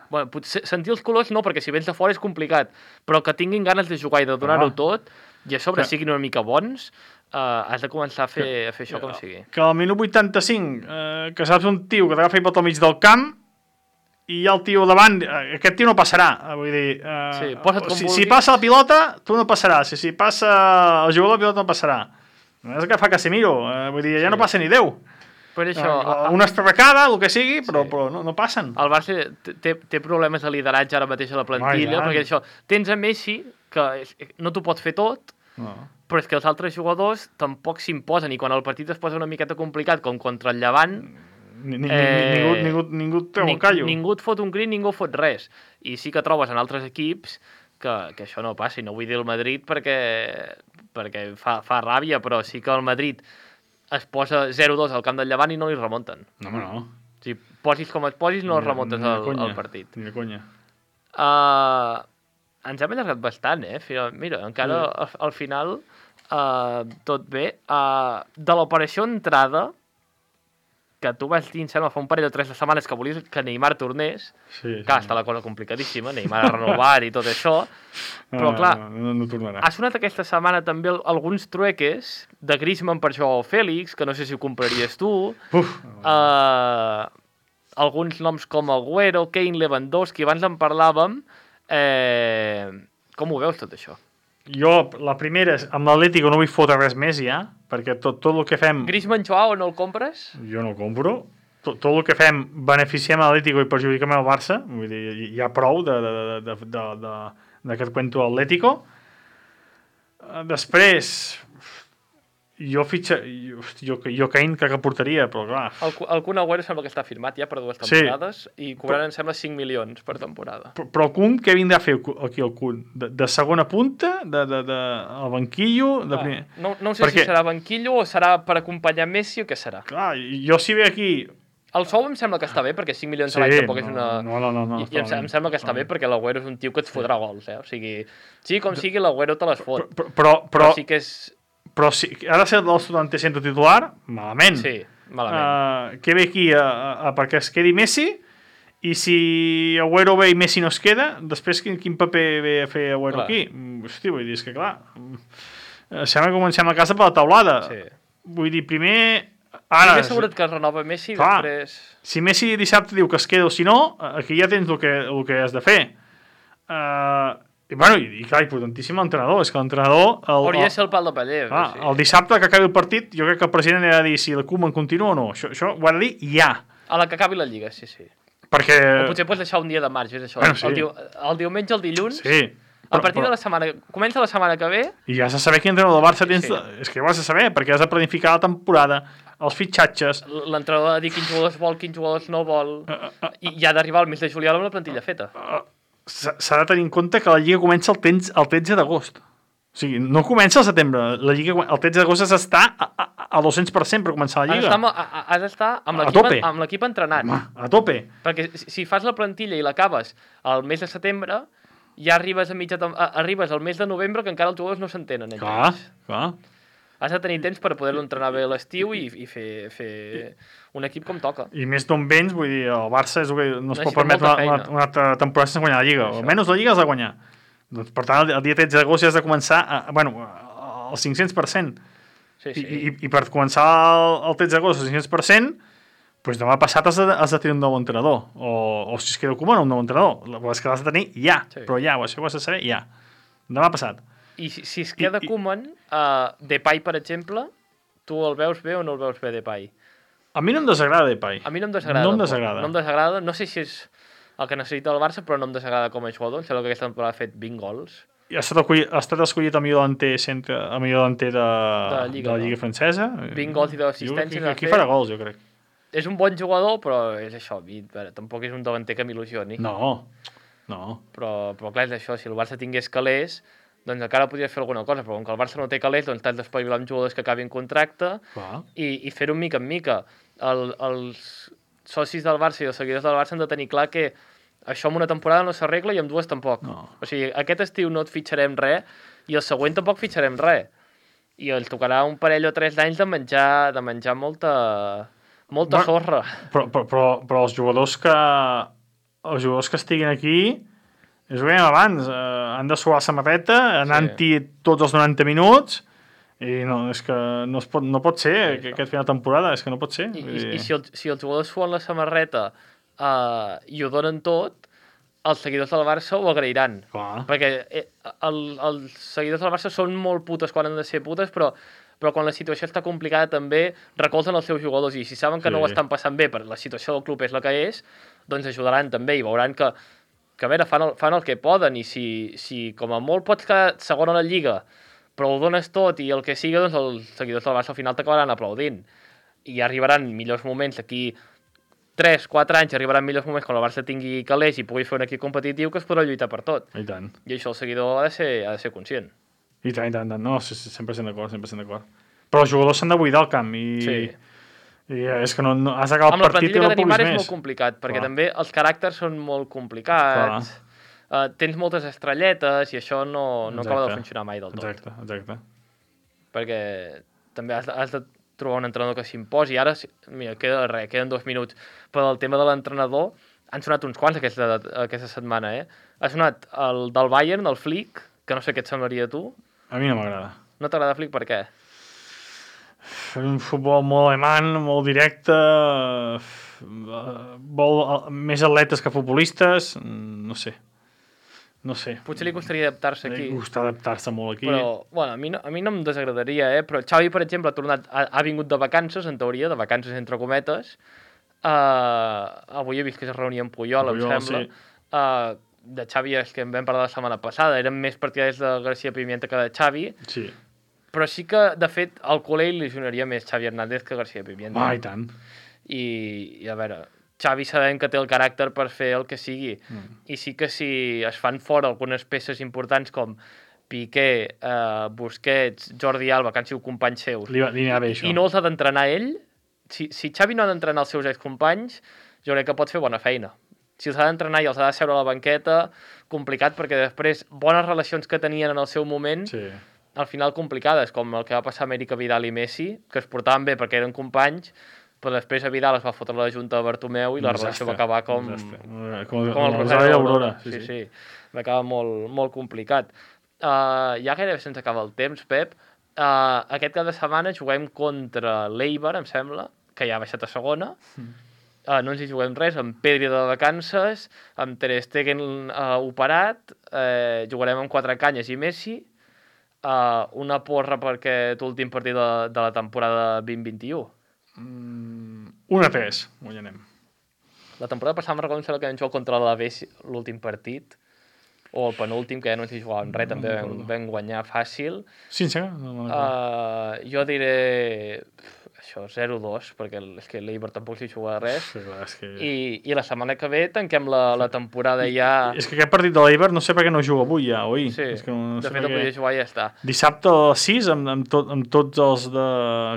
S2: bueno, potser, sentir els colors no, perquè si vens de fora és complicat, però que tinguin ganes de jugar i de donar-ho ah. tot, i a sobre que... siguin una mica bons, uh, has de començar a fer, que... a fer això que... com sigui.
S4: Que al minut vuitanta-cinc, eh, que saps un tio que t'agafa i pot al mig del camp, i hi ha el tio davant, eh, aquest tio no passarà, vull dir... Eh,
S2: sí, posa't com
S4: si,
S2: vulguis.
S4: si passa la pilota, tu no passaràs, si, si passa el jugador la pilota no passarà. No és el que fa Casemiro, eh, vull dir, ja sí. no passa ni Déu.
S2: Per això,
S4: eh, una estrarracada, el que sigui, però, sí. però no, no passen.
S2: El Barça té, té problemes de lideratge ara mateix a la plantilla,
S4: Ai,
S2: perquè això, tens a Messi, que no t'ho pot fer tot,
S4: no.
S2: però és que els altres jugadors tampoc s'imposen, i quan el partit es posa una miqueta complicat, com contra el Llevant...
S4: Ni, ni, eh, ningú, ningú, ningú treu el callo.
S2: Ningú et fot un crit, ningú fot res. I sí que trobes en altres equips que, que això no passi. No vull dir el Madrid perquè, perquè fa, fa ràbia, però sí que el Madrid es posa zero dos al camp del Llevant i no li remunten.
S4: No, home, no.
S2: Si posis com et posis, no els remuntes
S4: ni
S2: al,
S4: conya,
S2: al partit.
S4: Ni de conya.
S2: Uh, ens hem allargat bastant, eh? Mira, encara sí. al, al final uh, tot bé. Uh, de l'operació entrada, que tu vas dir, em sembla, fa un parell o tres de setmanes que volies que Neymar tornés,
S4: sí,
S2: clar,
S4: sí.
S2: està la cosa complicadíssima, Neymar a renovar i tot això, però clar,
S4: no, no, no tornarà.
S2: Ha sonat aquesta setmana també alguns trueques de Griezmann per Joao Félix, que no sé si ho compraries tu,
S4: Uf.
S2: Uh, alguns noms com Agüero, Kane, Lewandowski, abans en parlàvem, eh, com ho veus tot això?
S4: Jo, la primera, amb l'Atlético no vull fotre res més ja, perquè tot, tot el que fem...
S2: Griezmann, Joao, no el compres?
S4: Jo no el compro. Tot, tot el que fem beneficiem a l'Atlético i perjudiquem al Barça. Vull dir, hi ha prou d'aquest cuento Atlético. Després, jo fitxa... Jo, jo, jo Kane crec que portaria, però clar...
S2: El, el Kun Agüero sembla que està firmat ja per dues temporades, sí. I cobraran, em sembla, cinc milions per temporada.
S4: Però, però el Kun, què vindrà a fer aquí el Kun? De, de segona punta? De, de, de, el banquillo? De primer...
S2: ah, no, no sé
S4: Perquè...
S2: si serà banquillo o serà per acompanyar Messi o què serà.
S4: Clar, jo si ve aquí...
S2: El sou em sembla que està bé, perquè cinc milions
S4: sí,
S2: a l'any tampoc és
S4: no,
S2: una...
S4: No, no, no. no
S2: I, i em, em sembla que està bé, perquè l'Agüero és un tio que et fotrà gols, eh? O sigui, sí, com sigui, l'Agüero te les fot.
S4: Però, però, però,
S2: però sí que és...
S4: Però si ha de ser el setanta centre titular, malament.
S2: Sí, malament.
S4: Uh, que ve aquí a, a, a perquè es quedi Messi, i si Agüero ve i Messi no es queda, després quin, quin paper ve a fer Agüero clar. Aquí? Hosti, vull dir, és que clar, sembla que comencem a casa per la taulada.
S2: Sí.
S4: Vull dir, primer... Ara,
S2: primer assegurat que es renova Messi,
S4: clar,
S2: després...
S4: Si Messi dissabte diu que es queda o si no, aquí ja tens el que, el que has de fer. Uh, I, bueno, i, i clar, importantíssim l'entrenador. És que l'entrenador...
S2: Hauria de ser el pal de paller.
S4: Ah, sí. El dissabte que acabi el partit, jo crec que el president ha de dir si el Koeman continua o no. Això, això ho ha de dir ja.
S2: A la que acabi la Lliga, sí, sí.
S4: Perquè...
S2: O potser pots deixar un dia de marge, és això.
S4: Bueno, sí.
S2: el, diu, el diumenge, el dilluns...
S4: Sí.
S2: A partir de la setmana... Comença la setmana que ve...
S4: I ja has de saber quin entrenador del Barça tens...
S2: Sí.
S4: És que ja ho has de saber, perquè has de planificar la temporada, els fitxatges...
S2: L'entrenador ha de dir quins jugadors vol, quins jugadors no vol... I, i ha d'arribar al mes de juliol amb la plantilla feta.
S4: S'ha s'ha de tenir en compte que la Lliga comença el, temps, el tretze d'agost. O sigui, no comença al setembre. La Lliga, el tretze d'agost has d'estar a, a, a dos-cents per cent per començar la
S2: Has
S4: Lliga.
S2: d'estar amb, a- a- has d'estar amb
S4: A
S2: l'equip
S4: tope.
S2: amb l'equip entrenat.
S4: Home, a tope.
S2: Perquè si si fas la plantilla i l'acabes al mes de setembre, ja arribes a mitja tem- a- arribes al mes de novembre que encara els jugadors no s'entenen. entre
S4: Clar,
S2: ells.
S4: clar.
S2: Has de tenir temps per poder-lo entrenar bé a l'estiu i, i fer, fer un equip com toca.
S4: I més d'on vens, vull dir, el Barça és, no es pot
S2: Necessita
S4: permetre una,
S2: molta
S4: una,
S2: feina.
S4: una altra temporada sense guanyar la Lliga.
S2: Això.
S4: Almenys la Lliga has de guanyar. Doncs, per tant, el, el dia tretze d'agost ja has de començar a, a, bueno, al cinc-cents per cent.
S2: Sí,
S4: I,
S2: sí.
S4: i, I per començar el, el tretze d'agost al cinc-cents per cent, doncs demà passat has de, has de tenir un nou entrenador. O, o si es queda Koeman, un nou entrenador. La és que l'has de tenir ja.
S2: Sí.
S4: Però ja, això ho has de saber ja. Demà passat.
S2: I si, si es queda
S4: I- i-
S2: Koeman, uh, Depay, per exemple, tu el veus bé o no el veus bé, Depay?
S4: A mi no em desagrada Depay.
S2: A mi no em desagrada.
S4: No em
S2: tampoc.
S4: desagrada.
S2: No em desagrada. No sé si és el que necessita el Barça, però no em desagrada com a jugador. Em sembla que aquesta temporada ha fet vint gols.
S4: I ha estat, escollit, ha estat escollit el millor delanter, centre, el millor delanter de,
S2: De la Lliga,
S4: de la Lliga
S2: no?
S4: francesa.
S2: vint gols i deu assistències
S4: Jo,
S2: ha
S4: aquí
S2: fet.
S4: farà gols, jo crec.
S2: És un bon jugador, però és això. A mi, a veure, tampoc és un davanter que m'il·lusioni.
S4: No, no.
S2: Però, però clar, és això. Si el Barça tingués calés, doncs encara podries fer alguna cosa. Però com que el Barça no té calés, doncs t'has d'espavilar amb jugadors que acabin contracte
S4: Clar.
S2: i, i fer-ho mica en mica. El, els socis del Barça i els seguidors del Barça han de tenir clar que això en una temporada no s'arregla i en dues tampoc.
S4: No.
S2: O sigui, aquest estiu no et fitxarem res i el següent tampoc fitxarem res. I els tocarà un parell o tres d'anys de menjar, de menjar molta, molta
S4: Bueno,
S2: sorra.
S4: Però, però, però, però els jugadors que els jugadors que estiguin aquí, és ho dèiem abans, eh, han de suar la samarreta, anant-hi tots els noranta minuts, i no, és que no, es pot, no pot ser
S2: Sí,
S4: que, aquest final de temporada, és que no pot ser.
S2: I,
S4: Vull
S2: i,
S4: dir,
S2: i si, el, si els jugadors suen la samarreta uh, i ho donen tot, els seguidors del Barça ho agrairan.
S4: Clar.
S2: Perquè eh, el, els seguidors del Barça són molt putes quan han de ser putes, però, però quan la situació està complicada també recolzen els seus jugadors i si saben que
S4: Sí.
S2: no ho estan passant bé, perquè la situació del club és la que és, doncs ajudaran també i veuran que, que a veure, fan el, fan el que poden i si, si com a molt pots quedar segon a la Lliga però ho dones tot i el que sigui, doncs els seguidors del Barça al final t'acabaran aplaudint i arribaran millors moments d'aquí tres quatre anys, arribaran millors moments quan el Barça tingui calés i pugui fer un equip competitiu que es podrà lluitar per tot.
S4: I tant.
S2: I això el seguidor ha de ser, ha de ser conscient.
S4: I tant, i tant, i tant. No, sí, sí, cent per cent d'acord, cent per cent d'acord. Però els jugadors s'han de buidar el camp i,
S2: Sí.
S4: i és que no, no has d'acabar
S2: Amb
S4: el
S2: la
S4: partit i
S2: plantilla
S4: no
S2: que tenim
S4: puguis
S2: ara és
S4: més.
S2: molt complicat, perquè
S4: Clar.
S2: també els caràcters són molt complicats. Uh, tens moltes estrelletes i això no, no acaba de
S4: Exacte.
S2: funcionar mai del tot.
S4: Exacte, exacte.
S2: Perquè també has, de- has de trobar un entrenador que s'imposi. Ara, si- mira, queda res, queden dos minuts. Però el tema de l'entrenador, han sonat uns quants aquesta, aquesta setmana, eh? Ha sonat el del Bayern, el Flick, que no sé què et semblaria a tu.
S4: A mi no m'agrada.
S2: No t'agrada Flick per què?
S4: Un futbol molt alemany, molt directe, eh, vol eh, més atletes que futbolistes, mm, no sé. No sé.
S2: Potser li costaria adaptar-se aquí.
S4: Li costa adaptar-se molt aquí.
S2: Però, bueno, a mi no, a mi no em desagradaria, eh? Però Xavi, per exemple, ha, tornat, ha, ha vingut de vacances, en teoria, de vacances entre cometes. Uh, avui he vist que es reunia amb Puyol,
S4: Puyol,
S2: em sembla.
S4: sí.
S2: Uh, de Xavi és que en vam parlar la setmana passada. Eren més partidaris de García Pimienta que de Xavi.
S4: Sí.
S2: Però sí que, de fet, al culer li sonaria més Xavi Hernández que García Pimienta.
S4: Ah, i tant.
S2: I, i a veure, Xavi sabem que té el caràcter per fer el que sigui.
S4: Mm.
S2: I sí que si es fan fora algunes peces importants com Piqué, eh, Busquets, Jordi Alba, que han sigut companys seus,
S4: Li, va- li anava bé, això.
S2: i no els ha d'entrenar ell, si, si Xavi no ha d'entrenar els seus excompanys, jo crec que pot fer bona feina. Si els ha d'entrenar i els ha de seure a la banqueta, complicat, perquè després bones relacions que tenien en el seu moment,
S4: Sí.
S2: al final complicades, com el que va passar a Amèrica Vidal i Messi, que es portaven bé perquè eren companys, però després a Vidal es va fotre la junta de Bartomeu i la relació va acabar com,
S4: Desastre. Com,
S2: com el
S4: com
S2: Rosario
S4: i
S2: d'Aurora.
S4: l'Aurora.
S2: Sí, sí. Va acabar molt, molt complicat. Uh, ja gairebé se'ns acaba el temps, Pep. Uh, aquest cap de setmana juguem contra l'Eibar, em sembla, que ja ha baixat a segona. Uh, no ens hi juguem res, amb Pedri de vacances, amb Ter Stegen uh, operat, uh, jugarem amb quatre canyes i Messi, uh, una porra perquè l'últim partit de, de la temporada vint vint-i-u.
S4: Mm, un a tres, guanyarem.
S2: La temporada passada me'n recordo em sembla que vam jugar contra l'Alavés l'últim partit o el penúltim, que ja no ens hi jugàvem res, també vam, vam guanyar fàcil.
S4: Sí, sí. No, no, no.
S2: Uh, jo diré això, zero dos, perquè és que l'Eibar tampoc s'hi juga res.
S4: Sí, clar, és que...
S2: I, I la setmana que ve tanquem la, la temporada I, ja...
S4: És que aquest partit de l'Eibar no sé per què no juga avui ja, oi?
S2: Sí,
S4: és que no, no
S2: de
S4: sé
S2: fet el podria jugar i ja està.
S4: Dissabte a les sis, amb, amb, tot, amb tots els de...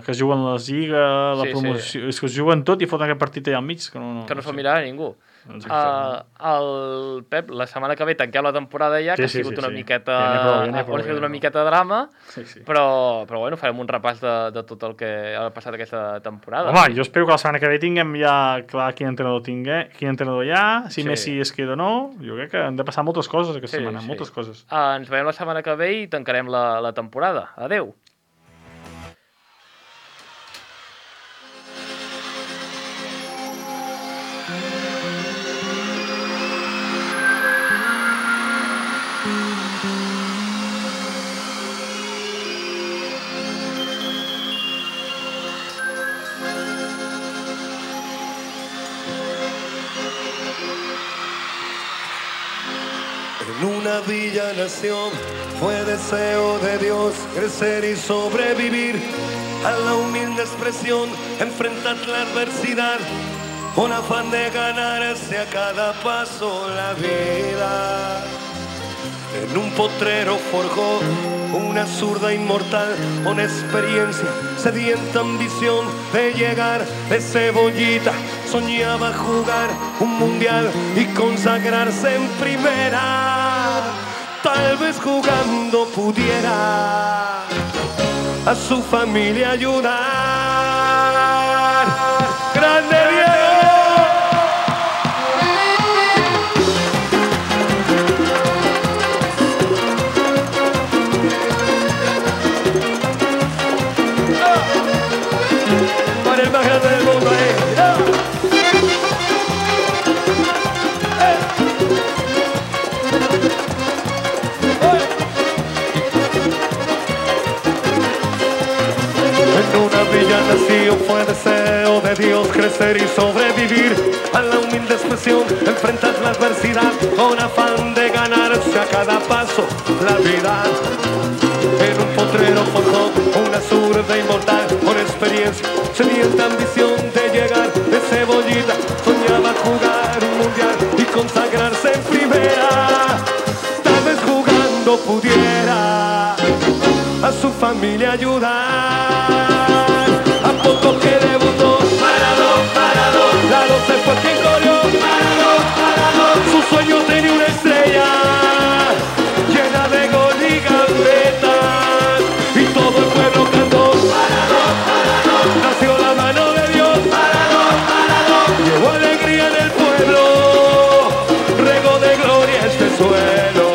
S4: que juguen la Lliga, la
S2: Sí,
S4: promoció...
S2: sí.
S4: És que es juguen tot i foten aquest partit allà al mig, que no... no
S2: Que no
S4: no
S2: se'l
S4: sé.
S2: mirarà ningú.
S4: Exacte.
S2: Uh, el Pep, la setmana que ve tanquem la temporada ja,
S4: Sí,
S2: que
S4: sí,
S2: ha sigut
S4: sí,
S2: una
S4: sí.
S2: miqueta...
S4: Ja n'hi ha prou, ja n'hi ha prou,
S2: ha sigut
S4: ja n'hi ha
S2: una
S4: prou.
S2: miqueta de drama,
S4: Sí, sí.
S2: però, però bueno, farem un repàs de, de tot el que ha passat aquesta temporada.
S4: Home, jo espero que la setmana que ve tinguem ja clar quin entrenador tingué, quin entrenador hi ha, si
S2: Sí.
S4: Messi es queda o no. Jo crec que han de passar moltes coses aquesta
S2: Sí,
S4: setmana,
S2: sí.
S4: moltes coses.
S2: Uh, ens veiem la setmana que ve i tancarem la, la temporada. Adeu!
S5: En una villa nació, fue deseo de Dios crecer y sobrevivir a la humilde expresión, enfrentar la adversidad, un afán de ganarse a cada paso la vida. En un potrero forjó una zurda inmortal con experiencia, sedienta ambición de llegar de cebollita. Soñaba jugar un mundial y consagrarse en primera. Tal vez jugando pudiera a su familia ayudar. ¡Grande Diego! Para el más grande del mundo, eh. En una villa nació, fue deseo de Dios crecer y sobrevivir a la humilde expresión, enfrentar la adversidad con afán de ganarse a cada paso la vida. En un potrero forjó una zurda inmortal con experiencia, sedienta ambición de llegar de cebollita. Soñaba jugar un mundial y consagrarse en primera. Tal vez jugando pudiera a su familia ayudar. A poco que debutó, parado, parado, la doce fue quien corrió, parado, parado. Su sueño tenía una estrella llena de gol y gambetas, y todo el pueblo cantó, parado, parado. Nació la mano de Dios, parado, parado. Llevó alegría en el pueblo, regó de gloria este suelo.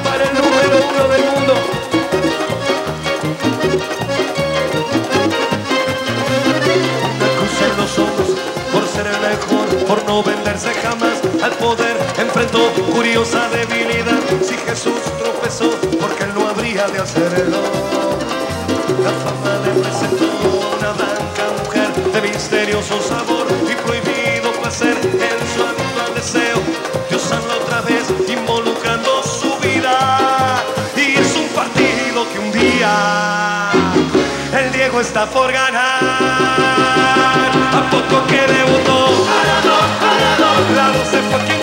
S5: Para el número uno del mundo. Una cruz en los ojos, por ser el mejor, por no venderse jamás al poder, enfrentó curiosa debilidad. Si Jesús tropezó, porque él no habría de hacerlo. La fama le presentó una blanca mujer de misterioso sabor y prohibido placer en su habitual deseo. Dios habla otra vez involucrando su vida, y es un partido que un día el Diego está por ganar. A poco que debutó, parado, parado, la doce fue quien